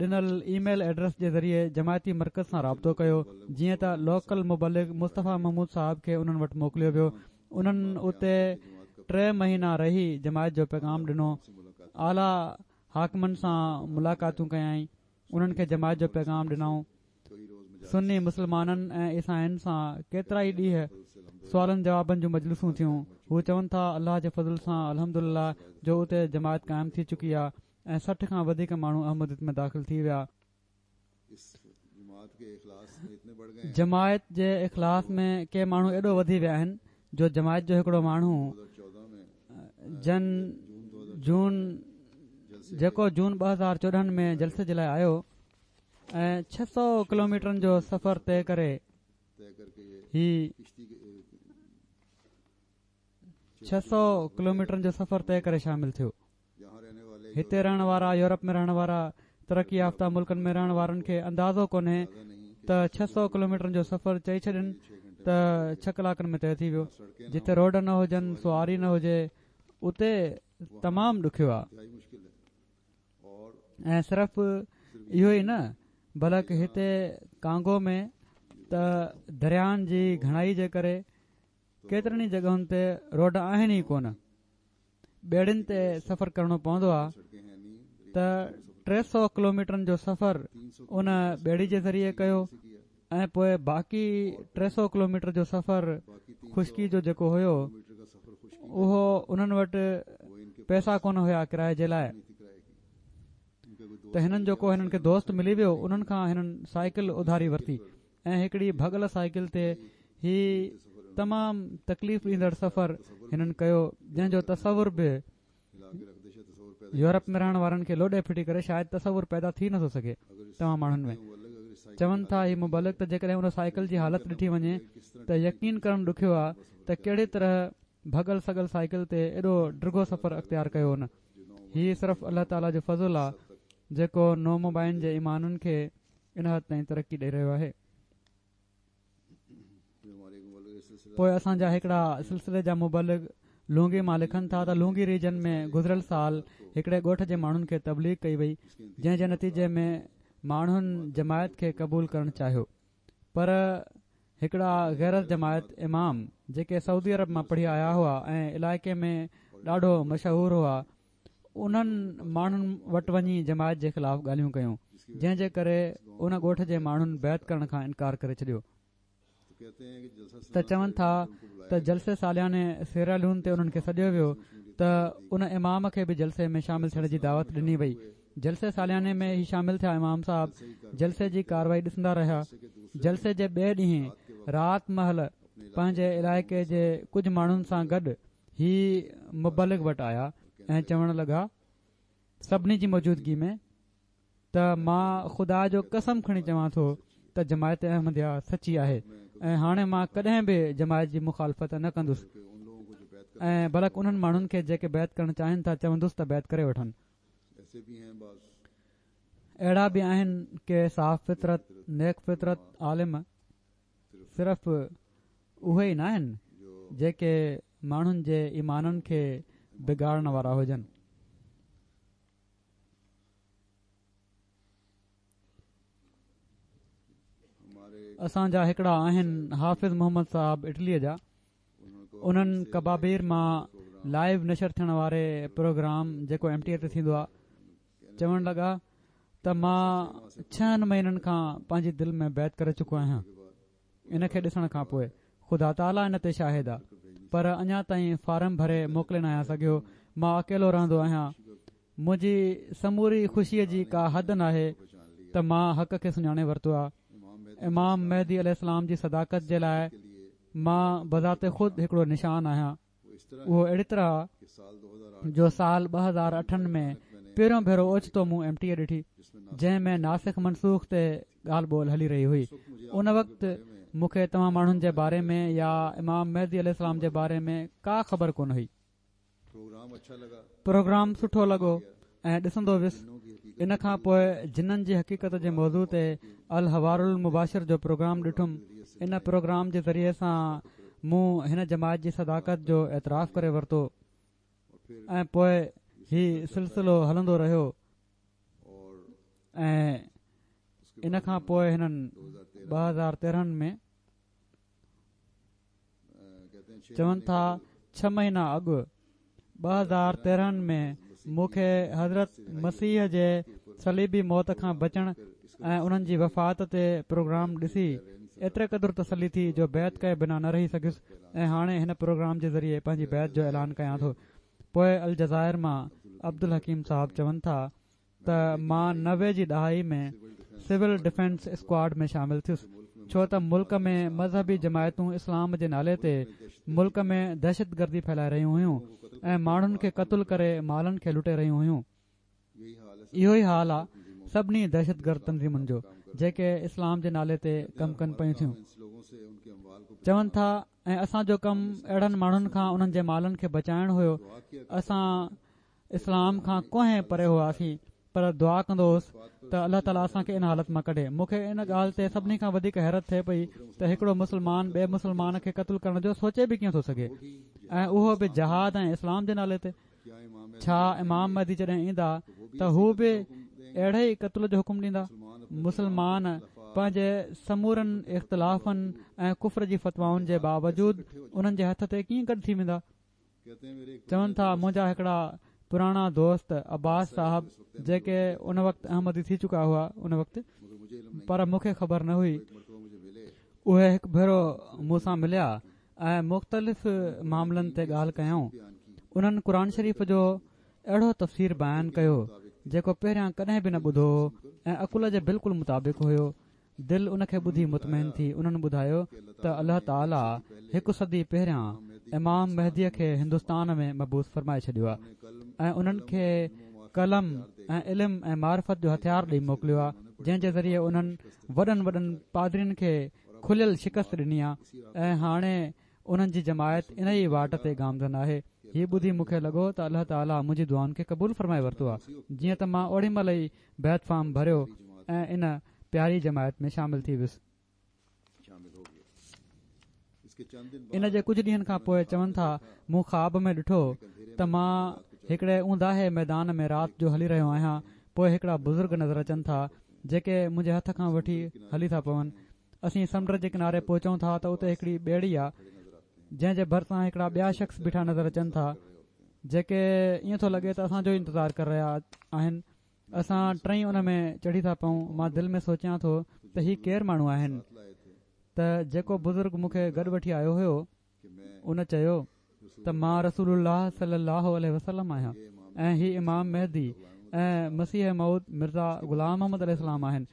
ڏنل اي ميل ايڊريس جي ذريعي جماعتي مرڪز سان رابطو ڪيو، جيئن ته لوڪل مبلغ مصطفيٰ محمود صاحب کي انهن وٽ موڪليو ويو. انهن اتي ٽي مهينا رهي جماعت جو پيغام ڏنو، اعليٰ حاڪمن سان ملاقاتون ڪيائين، انهن کي جماعت جو پيغام ڏنائون. سني مسلمانن ۽ عيسائين سان ڪيترا ئي ڏينهن سوالن جوابن جون مجلسون ٿيون. هو چون ٿا الله جي فضل سان الحمدلله جو اتي جماعت قائم ٿي چڪي آهي ۽ سٺ کان وڌيڪ ماڻهو احمديت ۾ داخل ٿي ويا. جماعت جي اخلاص ۾ ڪي ماڻهو ايڏو وڌي ويا آهن جو جماعت جو هڪڙو ماڻهو جن جون جيڪو جون ٻه هزار چوڏهن ۾ جلسي جي لاءِ آيو ۽ ڇهه سؤ ڪلوميٽرن جو سفر طئي ڪري هي ڇهه سؤ ڪلوميٽرن جو سفر طئي ڪري شامل ٿيو. هتي رهڻ وارا، يورپ ۾ رهڻ وارا، ترقي يافته ملڪن ۾ رهڻ وارن کي اندازو ڪونهي ته ڇهه سؤ ڪلوميٽرن جو سفر چئي ڇڏين ته ڇهه ڪلاڪن ۾ طئي ٿي ويو. جتي روڊ نه هجن، سواري نه هجي، اتي تمام ڏکيو آهي. ۽ صرف اهو ئي نه بلڪ هتي ڪانگو ۾ ته دريائن جي گهڻائي جي ڪري ڪيترن ئي جڳهن تي روڊ آهن ئي ڪونه، ٻيڙين تي سفر ڪرڻو پوندو آهي. ته ٽي سؤ ڪلوميٽرن جو سفر ان ٻيڙي جي ذريعي ڪيو ۽ پوءِ باقي ٽي سؤ ڪلوميٽر جو سفر خشڪي جو جيڪو هيو اهو انهن وٽ پئسا ڪونه هيا ڪرائي جي لاءِ، ته هنن جو ڪو هنن کي دوست ملي ويو، انهن کان هنن سائيڪل اڌاري ورتي ۽ هڪڙي ڀڳل سائيڪل تي هي تمام تڪليف ڏيندڙ سفر هنن ڪيو، جنهن جو تصور به يورپ ۾ رهڻ وارن کي لوڏي ڦٽي ڪري شايد تصور پيدا ٿي نٿو سگهي توهان ماڻهن ۾. چون ٿا هي مبلغ ته جيڪڏهن ان سائيڪل جي حالت ڏٺي وڃي ته يقين ڪرڻ ڏکيو آهي ته ڪهڙي طرح ڀڳل سڳل سائيڪل تي ايڏو ڊگهو سفر اختيار ڪيو. هن هي صرف الله تعاليٰ جو فضل آهي جيڪو نومبائعين جي ايمانن کي ان حد تائين ترقي ڏئي رهيو آهي. پوءِ اسان جا هڪڙا سلسلي جا مبلغ لونگي مان لکن ٿا ته لونگي ريجن ۾ گذريل سال هڪڙي ڳوٺ جي ماڻهن کي تبليغ ڪئي وئي، جنهن جي نتيجي ۾ ماڻهن جماعت کي قبول ڪرڻ چاهيو، پر هڪڙا غير جماعت امام جيڪي سعودي عرب مان پڙهي آيا هئا ۽ علائقي ۾ ڏاڍو مشهور هئا، انهن ماڻهن وٽ وڃي جماعت جي خلاف ڳالهيون ڪيون، جنهن جي ڪري ان ڳوٺ جي ماڻهن بيعت ڪرڻ کان انڪار ڪري ڇڏيو. ته چون ٿا ته جلسي سالياني سيراليون تي انهن کي سڏيو ويو ته ان امام کي به جلسي ۾ شامل ٿيڻ جي دعوت ڏني وئي. جلسي سالياني ۾ هي شامل ٿيا. امام صاحب جلسي جي ڪارروائي ڏسندا رهيا. جلسي جي ٻئي ڏينهن رات مهل پنهنجي علائقي جي ڪجهه ماڻهن سان گڏ هي مبلغ وٽ آيا ۽ چوڻ لڳا سڀني جي موجودگي ۾ ته مان خدا جو قسم کڻي چوان ٿو ته جماعت احمديه سچي آهي ۽ هاڻي مان ڪڏهن به جماعت جي مخالفت نه ڪندس ۽ بلڪ انهن ماڻهن کي جيڪي بيعت ڪرڻ چاهين ٿا چوندس ته بيعت ڪري وٺن. اهڙا به آهن ڪي صاف فطرت، نيڪ فطرت عالم صرف اهي ئي نه آهن جيڪي ماڻهن جي ايمانن کي بگاڙڻ وارا هجن. اسان جا هڪڙا آهن حافظ محمد صاحب اٽليءَ جا، انهن ڪبابير مان لائيو نشر ٿيڻ واري پروگرام جيڪو ايم ٽي اي تي ٿيندو آهي، چوڻ لڳا ته مان ڇهن مهينن کان پنهنجي دل ۾ بيعت ڪري چڪو آهيان. ان کي ڏسڻ کان پوءِ خدا تعاليٰ ان تي شاهد آهي، پر اڃا تائين فارم ڀري موڪلي نه آهيان سگهيو. مان اڪيلو رهندو آهيان، منهنجي سموري خوشيءَ جي ڪا حد ناهي ته مان حق کي سڃاڻي ورتو آهي. امام مهدي عليه السلام جي صداقت جي لاءِ مان بذات خود هڪڙو نشان آهيان. اهو اهڙي طرح جو سال ٻه هزار اٺن ۾ پهريون ڀيرو اوچتو مون ايم ٽي اي ڏٺي، جنهن ۾ ناسخ منسوخ تي ڳالهه ٻولهه هلي رهي هئي. ان وقت مون کي توهان ماڻهن جي باري ۾ يا امام مهدي عليه السلام جي باري ۾ ڪا خبر ڪونه هئي. پروگرام سٺو لڳو ۽ ڏسندو ويس. ان کان پوءِ جنن جي حقيقت جي موضوع تي الحوار المباشر جو پروگرام ڏٺم. ان پروگرام جي ذريعي سان مون هن جماعت جي صداقت جو اعتراف ڪري ورتو ۽ پوءِ هي سلسلو هلندو رهيو. ۽ ان کان پوءِ هنن ٻه هزار تيرهن ۾ چون ٿا ڇهه مهينا اڳ ٻه هزار تيرهن ۾ مون کي حضرت مسيح جي صليبي موت کان بچڻ ۽ انهن جي وفات تي پروگرام ڏسي ايتري قدر تسلي ٿي جو بيعت ڪئي بنا نه رهي سگهيس ۽ هاڻي هن پروگرام جي ذريعي پنهنجي بيعت جو اعلان ڪيان ٿو. پوءِ الجزائر مان عبدالحڪيم صاحب چون ٿا ته مان نوي جي ڏهائي ۾ سول ڊفينس اسڪواڊ ۾ شامل ٿيس، ڇو ته ملڪ ۾ مذهبي جماعتون اسلام جي نالي تي ملڪ ۾ دهشتگردي ڦهلائي رهيون هيون ۽ ماڻهن کي قتل ڪري مالن کي لٽي رهيون هيون. اهو ئي حال آهي سڀني دهشتگرد تنظيمن جو جيڪي اسلام جي نالي تي ڪم ڪن پيون ٿيون. چون ٿا ۽ اسان جو ڪم اهڙن ماڻهن کان انهن جي مالن کي بچائڻ هيو. اسان اسلام کان ڪوهين پري هئاسين، پر دعا ڪندو هوس ته الله تعاليٰ اسان کي ان حالت مان ڪڍي. مون کي ان ڳالهه تي سڀني کان وڌيڪ حيرت ٿئي پئي ته هڪڙو مسلمان ٻئي مسلمان کي قتل ڪرڻ جو سوچي به ڪيئن ٿو سگهي، ۽ اهو به جهاد ۽ اسلام جي نالي تي. ڇا امام مهدي جڏهن ايندا ته هو به اهڙي ئي قتل جو حڪم ڏيندا؟ مسلمان پنهنجي سمورن اختلافن ۽ ڪفر جي فتوائن جي باوجود انهن جي هٿ تي ڪيئن گڏ ٿي ويندا؟ چون ٿا منهنجا هڪڙا پراڻا دوست عباس صاحب جيڪي ان وقت احمدي ٿي چڪا هئا ان وقت، پر مون کي خبر نه هئي، اهي هڪ ڀيرو مون سان مليا ۽ مختلف معاملن تي ڳالهه ڪيائون. انهن قرآن شريف جو اهڙو تفسير بيان ڪيو جيڪو پهريان ڪڏهن به نه ٻڌو هو ۽ عقل جي بلڪل مطابق هيو. دل ان کي ٻڌي مطمئن ٿي. انهن ٻڌايو ته الله تعاليٰ هڪ صدي پهريان امام مهديءَ کي هندستان ۾ مبعوث فرمائي ڇڏيو آهي ۽ انهن کي قلم ۽ علم ۽ معرفت جو هٿيار ڏيئي موڪليو آهي، جنهن جي ذريعي انهن وڏن وڏن پادرين کي کليل شڪست ڏني آهي ۽ هاڻي انهن جي جماعت ان ئي واٽ تي گامزن آهي. هي ٻڌي مون کي لڳو ته الله تعاليٰ منهنجي دعائن کي قبول فرمائي ورتو آهي. جيئن ته مان اوڏي مهل ئي بيعت فارم ڀريو ۽ ان پياري جماعت ۾ شامل ٿي ويس. ان جي ڪجهه ڏينهن کان پوءِ چون ٿا مون خواب ۾ ڏٺو ته مان هڪڙي اونداهي ميدان ۾ رات جو هلي رهيو آهيان. پوءِ هڪڙا بزرگ نظر اچن ٿا جيڪي منهنجي هٿ کان وٺي هلي ٿا پون. اسين سمنڊ جي ڪناري پهچون ٿا ته اتي هڪڙي ٻيڙي آهي جنهن جي ڀرسان هڪڙا ٻيا شخص بيٺا نظر اچن ٿا جيڪي ائين ٿو لڳي ته اسان جو انتظار ڪري رهيا آهن. اسان ٽئي ان ۾ چڙهي ٿا پئون. مان دل ۾ سوچيان ٿو ته هي ڪير ماڻهو آهن؟ ته جيڪو بزرگ مون کي گڏ وٺي آيو هيو ان چيو ته مان رسول الله صلي الله عليه وسلم آهيان ۽ هي امام مهدي ۽ مسيح موعود مرزا غلام محمد عليه السلام آهن.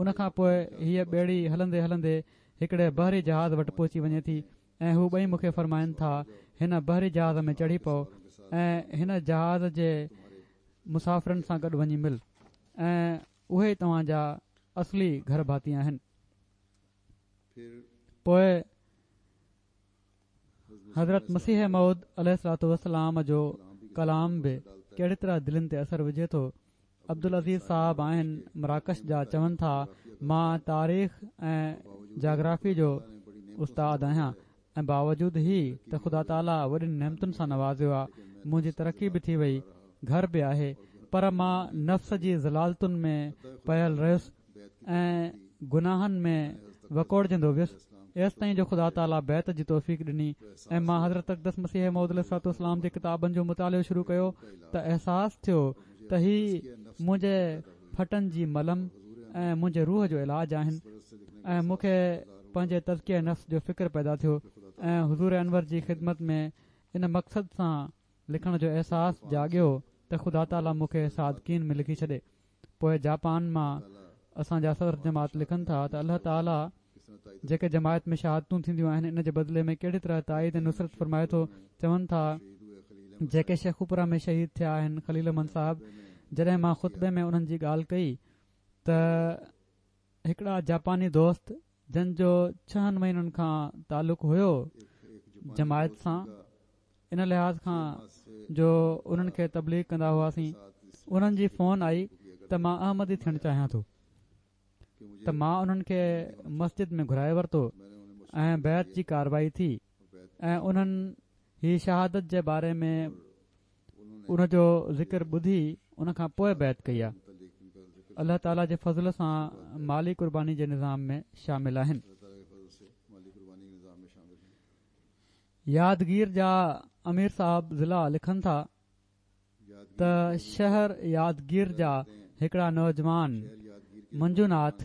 ان کان پوءِ هيءَ ٻيڙي هلندي هلندي هڪڙي بحري جهاز وٽ پهچي وڃي ٿي ۽ هو ٻئي مون کي فرمائن ٿا هن بحري جهاز ۾ چڙهي پئو ۽ هن جهاز جي مسافرن سان گڏ وڃي مل ۽ اهي توهان جا اصلي گهر ڀاتي آهن. پوءِ حضرت مسيح موعود عليه الصلوة والسلام جو ڪلام به ڪهڙي طرح دلن تي اثر وجهي ٿو. عبدالعزيز صاحب آهن مراڪش جا، چون ٿا مان تاريخ ۽ جاگرافي جو استاد آهيان ۽ باوجود هي ته خدا تعاليٰ وڏين نعمتن سان نوازيو آهي، منهنجي ترقي به ٿي وئي، گهر به آهي، پر مان نفس جي ضلالتن ۾ پيل رهيس ۽ گناهن ۾ وڪوڙجندو ويس ايستائين جو خدا تعاليٰ بيعت جي توفيق ڏني ۽ مان حضرت اقدس مسيح موعود عليه الصلوة والسلام جي ڪتابن جو مطالعو شروع ڪيو ته احساس ٿيو ته هي منهنجي ڦٽن جي ملم ۽ منهنجي روح جو علاج آهن ۽ مون کي پنهنجي تزڪيه نفس جو فڪر پيدا ٿيو ۽ حضور انور جي خدمت ۾ ان مقصد سان لکڻ جو احساس جاڳيو ته خدا تعاليٰ مون کي صادقين ۾ لکي ڇڏي. پوءِ جاپان مان اسان جا صدر جماعت لکن ٿا ته الله تعاليٰ جيڪي جماعت ۾ شهادتون ٿينديون آهن ان جي بدلي ۾ ڪهڙي طرح تائيد ۽ نصرت فرمائي ٿو. چون ٿا جيڪي شيخوپورا ۾ شهيد ٿيا آهن خليل احمد صاحب، جڏهن مان خطبي ۾ انهن جي ڳالهه ڪئي ته هڪڙا جاپاني دوست جن جو ڇهن مهينن کان تعلق هيو جماعت سان، ان لحاظ کان جو انهن کي تبليغ ڪندا هئاسين، انهن جي فون آئي ته مان احمدي ٿيڻ چاهيان ٿو ته مان انهن کي مسجد ۾ گهرائي ورتو ۽ بيعت جي ڪارروائي ٿي ۽ انهن هي شهادت جي باري ۾ ان جو ذڪر ٻڌي ان کان پوءِ بيعت ڪئي آهي. الله تعاليٰ جي فضل سان مالي قرباني جي نظام ۾ شامل آهن. يادگير جا امير صاحب ضلع لکن ٿا ته شهر يادگير جا هڪڙا نوجوان منجوناٿ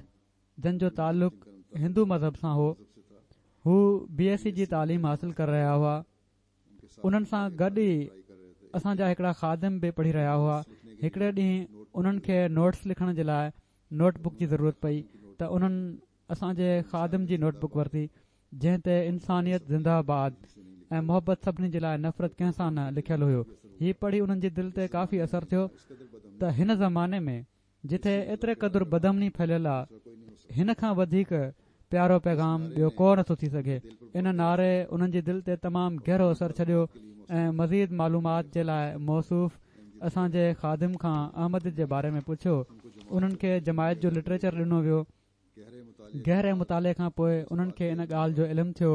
جن جو تعلق هندو مذهب سان هو، هو بي ايس سي جي تعليم حاصل ڪري رهيا هئا. انهن سان گڏ ئي اسان جا هڪڙا خادم به پڙهي رهيا هئا. هڪڙي ڏينهن انهن کي نوٽس لکڻ جي لاءِ نوٽ بڪ جي ضرورت پئي ته انهن اسان جي خادم جي نوٽ بڪ ورتي جنهن تي انسانيت زنده آباد ۽ محبت سڀني جي لاءِ نفرت ڪنهن سان نه لکيل هيو. هي پڙهي انهن جي دل تي ڪافي اثر ٿيو ته هن زماني ۾ جتي ايتري قدر بدامني ڦهليل آهي هن کان وڌيڪ پيارو پيغام ٻيو ڪو نٿو ٿي سگهي. ان نعري انهن جي دل تي تمام گهرو اثر ڇڏيو ۽ مزيد معلومات جي لاءِ موصوف اسان جي خادم کان احمديت جي باري ۾ پڇيو. انهن کي جماعت جو لٽريچر ڏنو ويو. گهري مطالعي کان پوءِ انهن کي ان ڳالهه جو علم ٿيو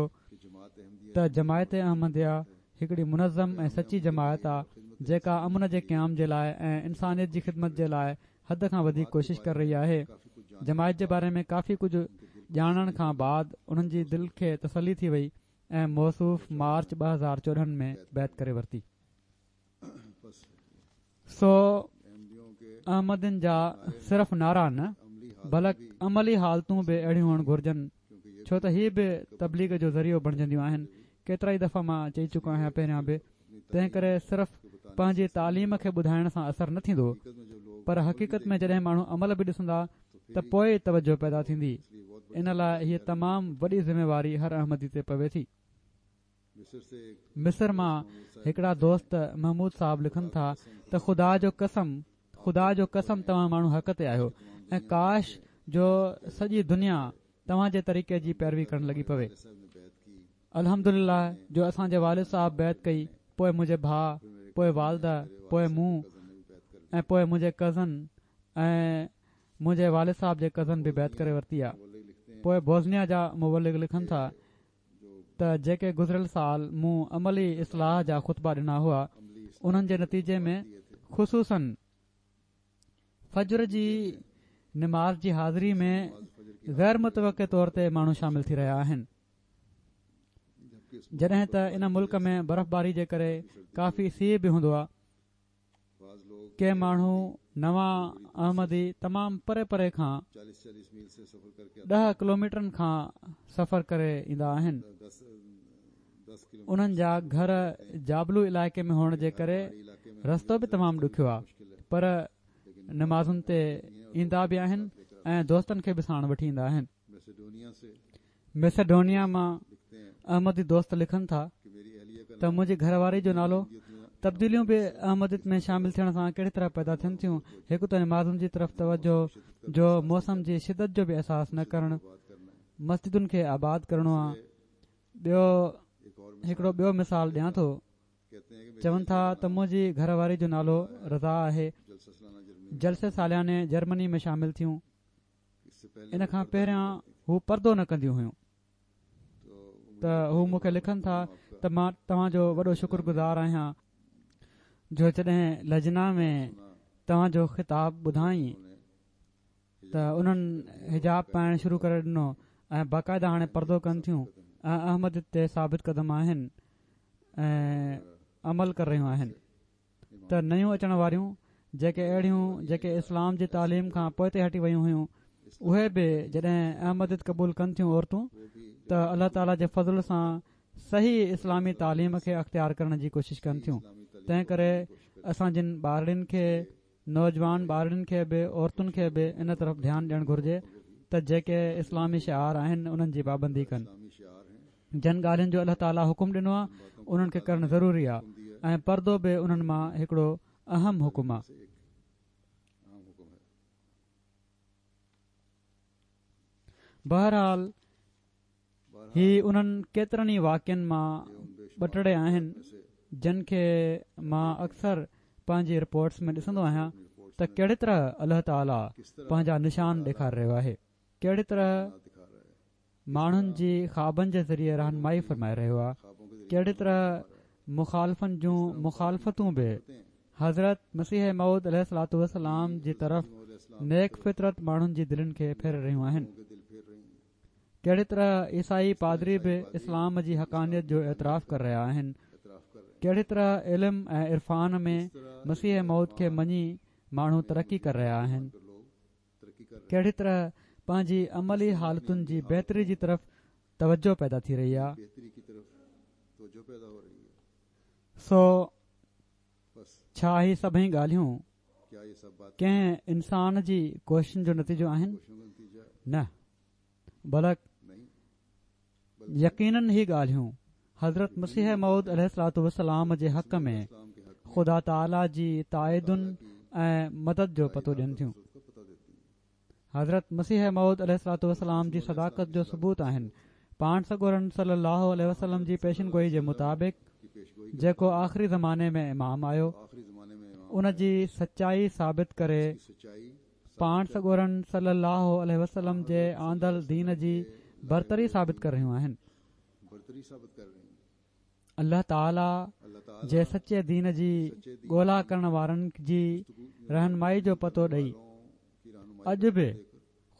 ته جماعت احمديه هڪڙي منظم ۽ سچي جماعت آهي جيڪا امن جي قيام جي لاءِ ۽ انسانيت جي خدمت جي لاءِ حد کان وڌيڪ ڪوشش ڪري رهي آهي. جماعت جي باري ۾ ڪافي ڪجهه ڄاڻڻ کان بعد انهن جي دل کي تسلي ٿي وئي ۽ موصوف مارچ ٻه هزار چوڏهن ۾ بيعت ڪري ورتي. سو احمدين جا صرف نعرا نه بلڪ عملي حالتون به اهڙيون هئڻ گهرجن، ڇو ته هي به تبليغ جو ذريعو بڻجنديون آهن. ڪيترا ئي دفعا مان چئي چڪو آهيان پهريان به، تنهن ڪري صرف پنهنجي تعليم کي ٻڌائڻ سان اثر نه ٿيندو، پر حقيقت ۾ جڏهن ماڻهو عمل به ڏسندا ته پوءِ توجه پيدا ٿيندي. ان لاءِ هيءَ تمام وڏي ذميواري هر احمدي تي پوي ٿي. مصر مان هڪڙا دوست محمود صاحب لکن ٿا ته خدا جو قسم خدا جو قسم توهان ماڻهو حق تي آهيو ۽ ڪاش جو سڄي دنيا توهان جي طريقي جي پيروي ڪرڻ لڳي پوي. الحمدلله جو اسان جي والد صاحب بيعت ڪئي، پوءِ منهنجي ڀاءُ، پوءِ والده، پوءِ مون ۽ پوءِ منهنجي ڪزن ۽ منهنجي والد صاحب جي ڪزن به بيعت ڪري ورتي آهي. پوءِ بوزنيا جا مبلغ لکن ٿا ته جيڪي گذريل سال مون عملي اصلاح جا خطبا ڏنا هئا، انهن جي نتيجي ۾ خصوصن فجر جي نماز جي حاضري ۾ غير متوقع طور تي ماڻهو شامل ٿي رهيا آهن. جڏهن ته ان ملڪ ۾ برفباري جي ڪري ڪافي سيءُ به هوندو آهي. ڪي ماڻهو نوان احمدي تمام پري پري کان ڏهه ڪلوميٽرن کان سفر ڪري ايندا آهن. انهن جا گهر جابلو علائقي ۾ هئڻ جي ڪري رستو به تمام ڏکيو آهي، پر نمازن تي ايندا به آهن ۽ دوستن کي به ساڻ وٺي ايندا آهن. ميسيڊونيا مان احمدي دوست لکن ٿا ته منهنجي گهر واري جو نالو تبديليون به احمديت ۾ شامل ٿيڻ سان ڪهڙي طرح پيدا ٿين ٿيون. هڪ ته نمازن جي طرف توجه جو موسم جي شدت جو به احساس نه ڪرڻ، مسجدن کي آباد ڪرڻو آهي. ٻيو هڪڙو ٻيو مثال ڏيان ٿو. چون ٿا ته منهنجي گهر واري جو نالو رضا آهي. جلسي سالياني جرمني ۾ شامل ٿيون. ان کان پهريان هو پردو نه ڪنديون هيون. ته هو مون کي لکن ٿا ته مان توهان جو وڏو شڪر گذار آهيان جو جڏهن لجنا ۾ توهان جو خطاب ٻڌائين ته انهن حجاب پائڻ شروع ڪري ڏنو ۽ باقاعده هاڻي پردو ڪن ٿيون ۽ احمديت تي ثابت قدم آهن ۽ عمل ڪري رهيون آهن. ته نيون اچڻ واريون جيڪي اهڙيون جيڪي اسلام جي تعليم کان پوئتي هٽي ويون هيون، اهي به جڏهن احمديت قبول ڪن ٿيون عورتون ته الله تعاليٰ جي فضل سان صحيح اسلامي تعليم کي اختيار ڪرڻ جي ڪوشش ڪن ٿيون. تنهن ڪري اسان جن ٻارڙين کي، نوجوان ٻارڙين کي به، عورتن کي به ان طرف ڌيان ڏيڻ گهرجي ته جيڪي اسلامي شعار آهن انهن جي پابندي ڪن. جن ڳالهين جو الله تعاليٰ حڪم ڏنو آهي انهن کي ڪرڻ ضروري آهي ۽ پردو به انهن مان هڪڙو اهم حڪم آهي. بهرحال هي انهن ڪيترن ئي واقعن مان ٻه ٽي آهن جن کي مان اڪثر پنهنجي رپورٽس ۾ ڏسندو آهيان ته ڪهڙي طرح الله تعاليٰ پنهنجا نشان ڏيکاري رهيو آهي، ڪهڙي طرح ماڻهن جي خوابن جي ذريعي رهنمائي فرمائي رهيو آهي، ڪهڙي طرح مخالفن جون مخالفتون به حضرت مسيح موعود عليه الصلوة والسلام جي طرف نيڪ فطرت ماڻهن جي دلين کي ڦيري رهيون آهن، ڪهڙي طرح عيسائي پادري به اسلام جي حقانيت جو اعتراف ڪري رهيا آهن، ڪهڙي طرح علم ۽ عرفان ۾ مسيح موعود کي مڃي ماڻهو ترقي ڪري رهيا آهن، ڪهڙي طرح پنهنجي عملي حالتن جي بهتري جي طرف توجه پيدا ٿي رهي آهي. سو ڇا هي سڀئي ڳالهيون ڪنهن انسان جي ڪوششن جو نتيجو آهن؟ نه، بلڪ يقينن هي ڳالهيون حضرت مسيح موعود عليه الصلوة والسلام جي حق ۾ خدا تعاليٰ جي تائيدن ۽ مدد جو پتو ڏين ٿيون. حضرت مسيح موعود عليه الصلوة والسلام جي صداقت جو ثبوت آهن. پاڻ سڳورن صلي الله عليه وسلم جي پيشن گوئي جي مطابق جيڪو آخري زماني ۾ امام آيو ان جي سچائي ثابت ڪري پاڻ سڳورن صلي الله عليه وسلم جي آندل دين جي برتري ثابت ڪري رهيون آهن. الله تعاليٰ جي سچي دين جي ڳولا ڪرڻ وارن جي رهنمائي جو پتو ڏئي اڄ به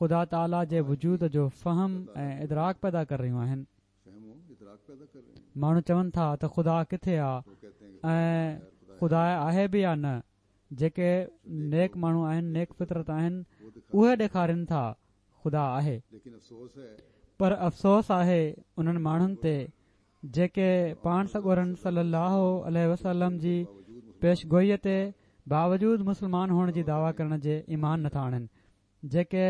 خدا تعاليٰ جي وجود جو فهم ۽ ادراڪ پيدا ڪري رهيون آهن. ماڻهو چون ٿا ته خدا ڪٿي آ ۽ خدا آهي به يا نه؟ جيڪي نيڪ ماڻهو آهن، نيڪ فطرت آهن، اهي ڏيکارين ٿا خدا آهي. پر افسوس آهي انهن ماڻهن تي جيڪي پاڻ سڳورن صلي الله عليه وسلم جي پيشگوئيءَ تي باوجود مسلمان هئڻ جي دعويٰ ڪرڻ جي ايمان نٿا آڻن، جيڪي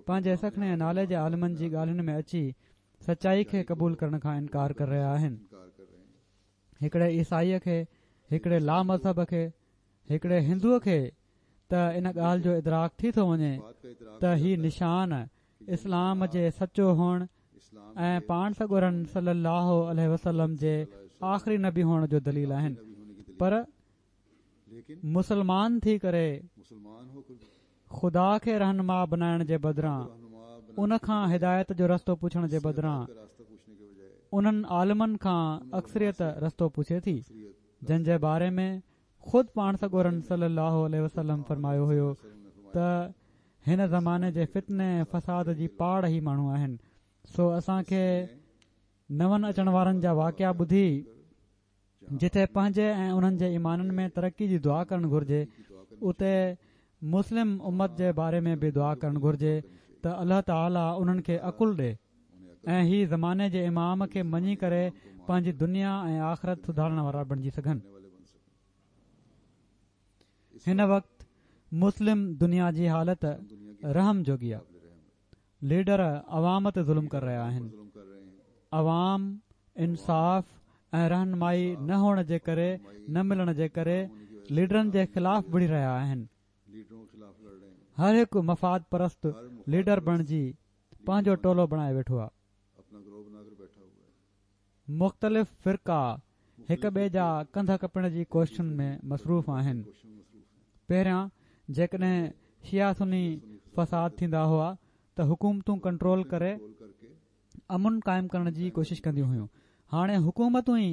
پنهنجي سکڻي نالي جي عالمن جي ڳالهين ۾ اچي سچائي کي قبول ڪرڻ کان انڪار ڪري رهيا آهن. هڪڙي عيسائيءَ کي، هڪڙي لا مذهب کي، هڪڙي هندوءَ کي ته ان ڳالهه جو ادراڪ ٿي ٿو وڃي ته هي نشان اسلام جي سچو هئڻ ۽ پاڻ سڳورن صلي الله عليه وسلم جي آخري نبي هئڻ جو دليل آهن. پر مسلمان ٿي ڪري خدا کي رهنما بنائڻ جي بدران، ان کان هدايت جو رستو پڇڻ جي بدران، انهن عالمن کان اڪثريت رستو پڇي ٿي جن جي باري ۾ خود پاڻ سڳورن صلي الله عليه وسلم فرمايو هيو ته هن زماني جي فتني ۽ فساد جي پاڙ هي ماڻهو آهن. سو اسان کي نون اچڻ وارن جا واقعا ٻڌي جتي پنهنجي ۽ انهن جي ايمانن ۾ ترقي جي دعا ڪرڻ گهرجي، اتي مسلم امت جي باري ۾ به دعا ڪرڻ گهرجي ته الله تعاليٰ انهن کي عقل ڏي ۽ هي زماني جي امام کي مڃي ڪري پنهنجي دنيا ۽ آخرت سڌارڻ وارا بڻجي سگهن. هن وقت مسلم دنيا جي حالت رحم جوڳي آهي. ليڊر عوام تي ظلم ڪري رهيا آهن. عوام انصاف ۽ رهنمائي نه هئڻ جي ڪري، نه ملڻ جي ڪري ليڊرن جي خلاف وڙهي رهيا آهن. هر هڪ مفاد پرست ليڊر بڻجي پنهنجو ٽولو بڻائي ويٺو آهي. مختلف فرقا هڪ ٻئي جا ڪنڌ ڪپڻ جي ڪوششن ۾ مصروف آهن. پهريان جيڪڏهن شيعه سني فساد ٿيندا هئا ته حڪومتون ڪنٽرول ڪري امن قائم ڪرڻ جي ڪوشش ڪنديون هيون. هاڻي حڪومتون ئي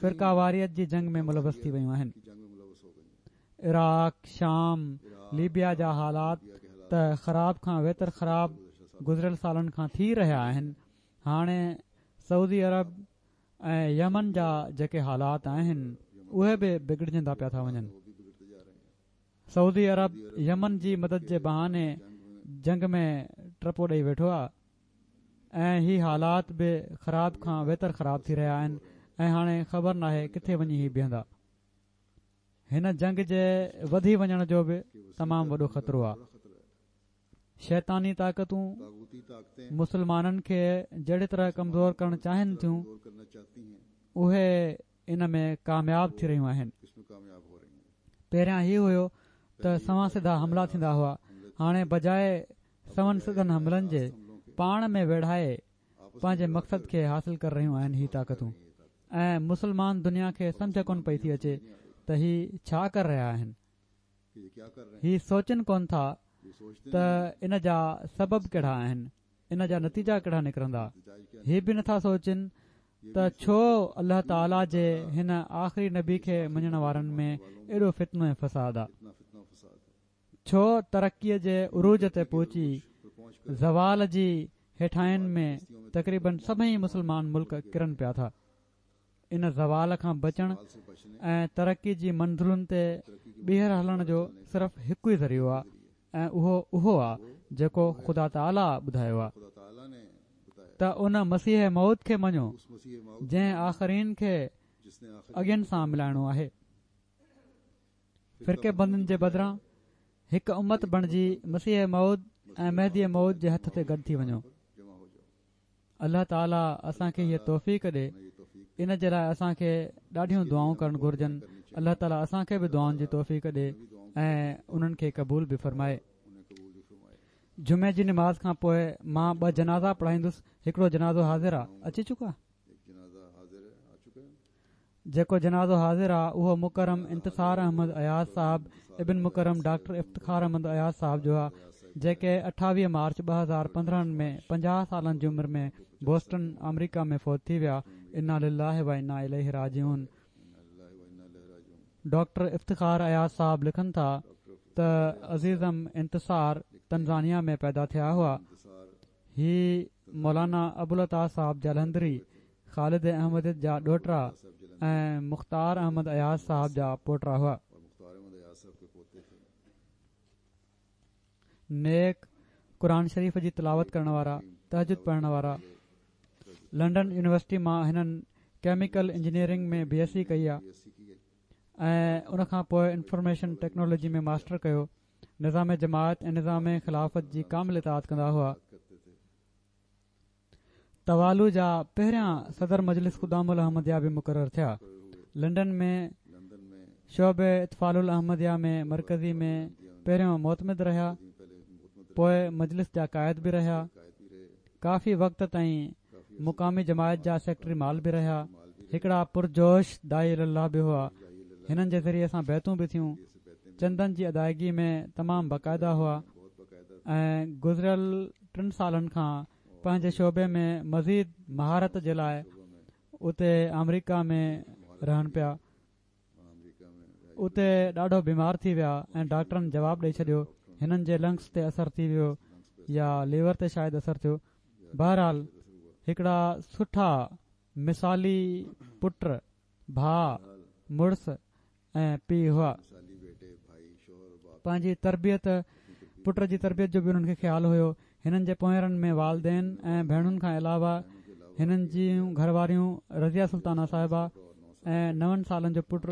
فرقه واريت جي جنگ ۾ ملوث ٿي ويون آهن. عراق، شام، ليبيا جا حالات ته خراب کان ويتر خراب گذريل سالن کان ٿي رهيا آهن. هاڻي سعودي عرب ۽ يمن جا جيڪي حالات آهن اهي به بگڙجندا پيا ٿا وڃن. سعودي عرب يمن جي مدد جي بهاني جنگ ۾ ٽپو ڏئي ويٺو آهي ۽ هي حالات به خراب کان ويتر خراب ٿي رهيا آهن ۽ هاڻي خبر ناهي ڪٿي وڃي هي بيهندا. هن جنگ جي وڌي وڃڻ جو به تمام وڏو خطرو آهي. شيطاني طاقتون مسلمانن کي جهڙي طرح ڪمزور ڪرڻ چاهين ٿيون، اهي ان ۾ ڪامياب ٿي رهيون آهن. پهريان هي هيو ته سنوان سڌا حملا ٿيندا هئا، هاڻي بجاءِ سنون سڌن حملن جي پاڻ ۾ ويڙهائي پنهنجي مقصد کي حاصل ڪري رهيون آهن هي طاقتون، ۽ مسلمان دنيا کي سمجهه ڪونه پئي ٿي اچي ته هي ڇا ڪري رهيا آهن. هي سوچن ڪونه ٿا ته ان جا سبب ڪهڙا آهن، ان جا نتيجا ڪهڙا نڪرندا. هي به نٿا سوچن ته ڇو الله تعاليٰ جي هن آخري نبي کي مڃڻ وارن ۾ ايڏو فتنو ۽ فساد آ، ڇو ترقيءَ جي عروج تي پهچي زوال جي هيٺاهين ۾ تقريبن سڀئي مسلمان ملڪ ڪرن پيا ٿا. ان زوال کان بچڻ ۽ ترقي جي منزلن تي ٻيهر هلڻ جو صرف هڪ ئي ذريعو آ ۽ اهو اهو آ جيڪو خدا تعاليٰ ٻڌايو آ ته ان مسيح موعود کي مڃو جنهن آخرين کي اڳين سان ملائڻو آهي. فرقي بندين جي بدران هڪ امت بڻجي مسيح موعود ۽ مهدي موعود جي هٿ تي گڏ ٿي وڃو. الله تعاليٰ اسان کي هيءَ توفيق ڏي. ان جي لاءِ اسان کي ڏاڍيون دعائون ڪرڻ گهرجن. الله تعاليٰ اسان کي به دعائن جي توفيق ڏي ۽ انهن کي قبول به فرمائي. جمعي جي نماز کان پوءِ مان ٻه جنازا پڙهائيندس. هڪڙو جنازو حاضر آ، اچي چڪو آ. جيڪو جنازو حاضر آ اهو مڪرم انتصار احمد اياز صاحب ابن مڪرم ڊاڪٽر افتخار احمد اياز صاحب جو آ، جيڪي اٺاويهه مارچ ٻه هزار پندرهن ۾ پنجاهه سالن جي عمر ۾ بوسٽن آمريڪا ۾ فوت ٿي ويا. انا لله و انا اليه راجعون. ڊاڪٽر افتخار اياز صاحب لکن ٿا ته عزيزم انتصار تنزانيا ۾ پيدا ٿيا هئا. هي مولانا ابوالعطا صاحب جالنڌري، خالد احمديت جا ڏوهٽا ۽ مختار احمد اياز صاحب جا پوٽا هئا. نيڪ قرآن شريف جي تلاوت ڪرڻ وارا، تهجد پڙهڻ وارا. لنڊن يونيورسٽي مان هنن chemical engineering ۾ B S C ڪئي آ ۽ ان کان پوءِ انفارميشن ٽيڪنالاجي ۾ ماسٽر ڪيو. نظام جماعت ۽ نظام خلافت جي ڪامل اطاعت ڪندا هئا. توالو جا پهريان صدر مجلس خدام الاحمديه به مقرر ٿيا. لنڊن ۾ شعبي اطفال الاحمديه ۾ مرڪزي ۾ پهريون معتمد رهيا، پوءِ مجلس جا قائد به رهيا. ڪافي وقت تائين مقامي جماعت جا سيڪريٽري مال به رهيا. هڪڙا پرجوش داعي الله به هئا. هنن جي ذريعي سان بيعتون به ٿيون. چندن جي ادائگي ۾ تمام باقاعده هئا ۽ گذريل ٽن سالن کان پنهنجي شعبي ۾ مزيد مهارت جي لاءِ اتي آمريڪا ۾ رهن پيا. اتي ڏاڍو بيمار ٿي ويا ۽ ڊاڪٽرن جواب ڏئي ڇڏيو هنن جي لنگس تي اثر ٿي ويو يا ليور تي شايد اثر ٿيو. بهرحال هڪڙا سٺا مثالي پٽ، ڀاءُ، مڙس ۽ پيءُ هئا. پنهنجي تربيت پٽ جي تربيت جو به انهن کي خيال هيو. هنن جي پوئرن ۾ والدين ۽ ڀيڻن کان علاوه هنن جون گهر واريون رضيه سلطانه صاحبه ۽ نون سالن جو پٽ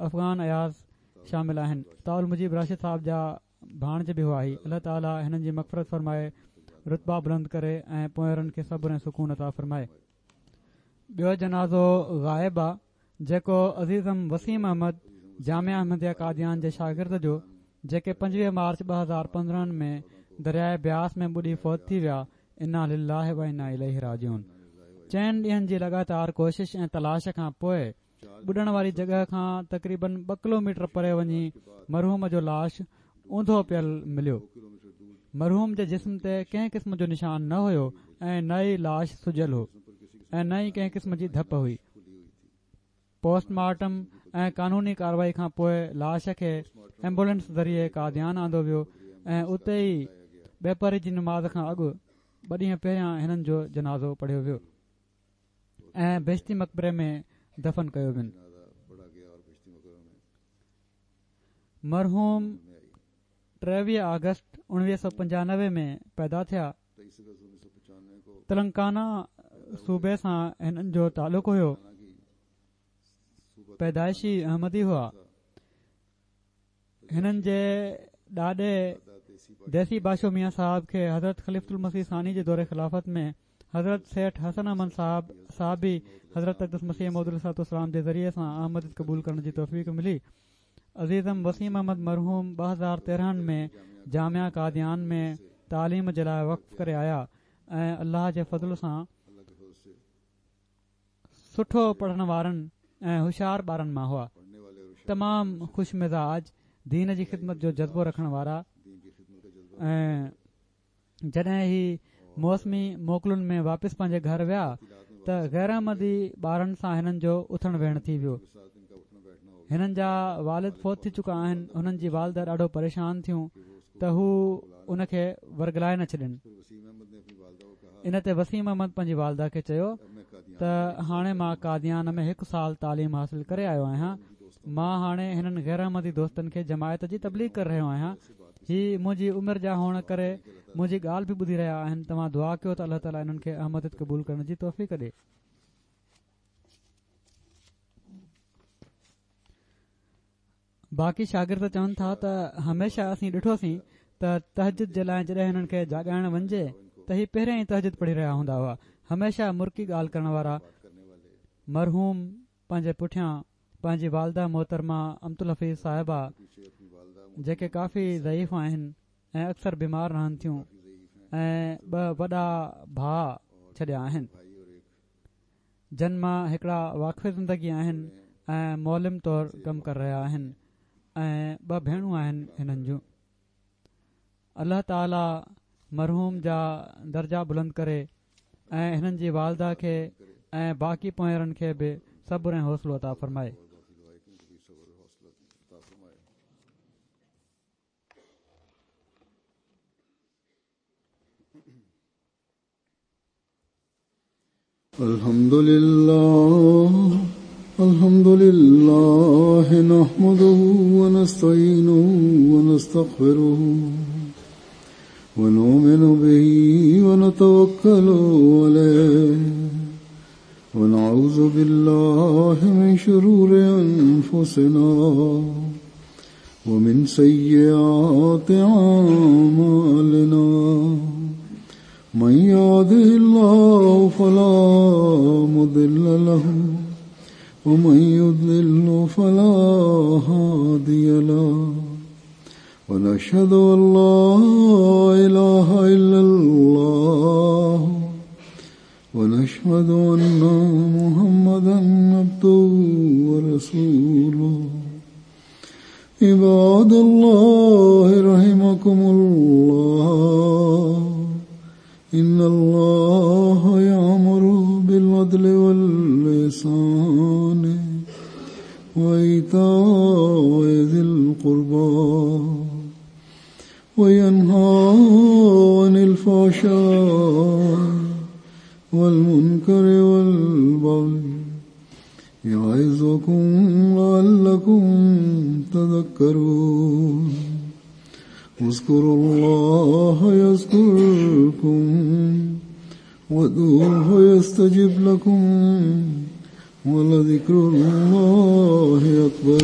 افغان اياز شامل آهن. طاول مجيب راشد صاحب جا ڀاڻج به هئا. هي الله تعاليٰ هنن جي مغفرت فرمائي، رتبا بلند ڪري ۽ پوئرن کي صبر ۽ سڪون عطا فرمائي. ٻيو جنازو غائب آ، جيڪو عزيزم وسيم احمد جامعه احمديه قاديان جي شاگرد جو، جيڪي پنجويهه مارچ ٻه هزار پندرهن ۾ درياءِ بياس ۾ ٻڏي فوت ٿي ويا. انا لله و انا اليه راجعون. چئن ڏينهن جي لڳاتار ڪوشش ۽ تلاش کان پوءِ ٻڏڻ واري جڳهه کان تقريبن ٻه ڪلوميٽر پري وڃي مرحوم جو لاش اونڌو پيل مليو. مرحوم جي جسم تي ڪنهن قسم جو نشان نه هيو ۽ نه ئي لاش سجيل هو ۽ نه ئي ڪنهن قسم جي ڌپ هئي. پوسٽ مارٽم ۽ قانوني ڪارروائي کان پوءِ لاش کي ايمبولينس ذريعي قاديان آندو ويو ۽ اتي ئي ٻپهري جي نماز کان اڳ ٻه ڏينهن پهريان هنن جو جنازو پڙهيو ويو ۽ بهشتي مقبري ۾ دفن ڪيو وين. مرحوم ٽيويهه آگسٽ اڻويهه سؤ پنجانوي ۾ پيدا ٿيا. تلنگانا صوبي سان هنن جو تعلق هيو. پيدائشي احمدي هئا. هنن جي ڏاڏي ديسي باشو ميان صاحب کي حضرت خليفة المسيح ثاني جي دور خلافت ۾ حضرت سيٺ حسن احمد صاحب صحابي حضرت اقدس مسيح موعود عليه الصلوة والسلام جي ذريعي سان احمديت قبول ڪرڻ جي توفيق ملي. عزيزم وسيم احمد مرحوم ٻه هزار تيرهن ۾ جامعه قاديان ۾ تعليم جي لاءِ وقف ڪري آيا ۽ الله جي فضل سان سٺو پڙهڻ وارن ۽ هوشيار ٻارن مان هئا. تمام خوش مزاج، دين جي خدمت جو جذبو رکڻ وارا ۽ جڏهن هي موسمي موڪلن ۾ واپس پنهنجي گهر ويا ته غير احمدي ٻارن سان هنن جو اٿڻ ويهڻ ٿي ويو. هنن جا والد فوت ٿي چڪا آهن. هنن جي والده ڏاڍو پريشان ٿيون ته هو ان کي ورگلائي نه ڇڏن. ان تي وسيم احمد پنهنجي والده کي چيو ته هاڻي مان قاديان ۾ هڪ سال تعليم حاصل ڪري آيو آهيان. مان هاڻي هنن غير احمدي دوستن کي جماعت جي تبليغ ڪري رهيو آهيان. هي منهنجي عمر جا هئڻ ڪري منهنجي ڳالهه به ٻڌي رهيا آهن. توهان دعا ڪيو ته الله تعاليٰ انهن کي احمديت قبول ڪرڻ جي توفيق ڏئي. باقي شاگرد چون ٿا ته هميشه اسين ڏٺوسين ته تهجد جي لاءِ جڏهن هنن کي جاڳائڻ وڃجي ته هي پهريان ئي تهجد پڙهي رهيا هوندا هئا. هميشه مرڪي ڳالهه ڪرڻ وارا. مرحوم پنهنجي پٺيان پنهنجي والده محترمه امت الحفيظ صاحبه، جيڪي ڪافي ضعيف آهن ۽ اڪثر بيمار رهن ٿيون، ۽ ٻه وڏا ڀاءُ ڇڏيا آهن، جن مان هڪڙا واقف زندگي آهن ۽ معلم طور ڪم ڪري رهيا آهن، ۽ ٻه ڀيڻون آهن هنن جون. الله تعاليٰ مرحوم جا درجا بلند ڪري ۽ هنن جي والده کي ۽ باقي پوئرن کي به صبر ۽ حوصلو عطا فرمائي. الحمد لله الحمد لله نحمده ونستعينه ونستغفره ونؤمن به ونتوكل عليه ونعوذ بالله من شرور أنفسنا ومن سيئات أعمالنا من يهده الله فلا مضل له ومن يضلل فلا هادي له ونشهد أن لا إله إلا الله ونشهد أن محمدا عبده ورسوله. عباد الله رحمكم الله، إن الله يأمر بالعدل والإحسان وإيتاء ذي القربى وينهى عن الفحشاء والمنكر والبغي يعظكم لعلكم تذكرون. اذكروا الله يذكركم وادعوه يستجب لكم ولذكر الله أكبر.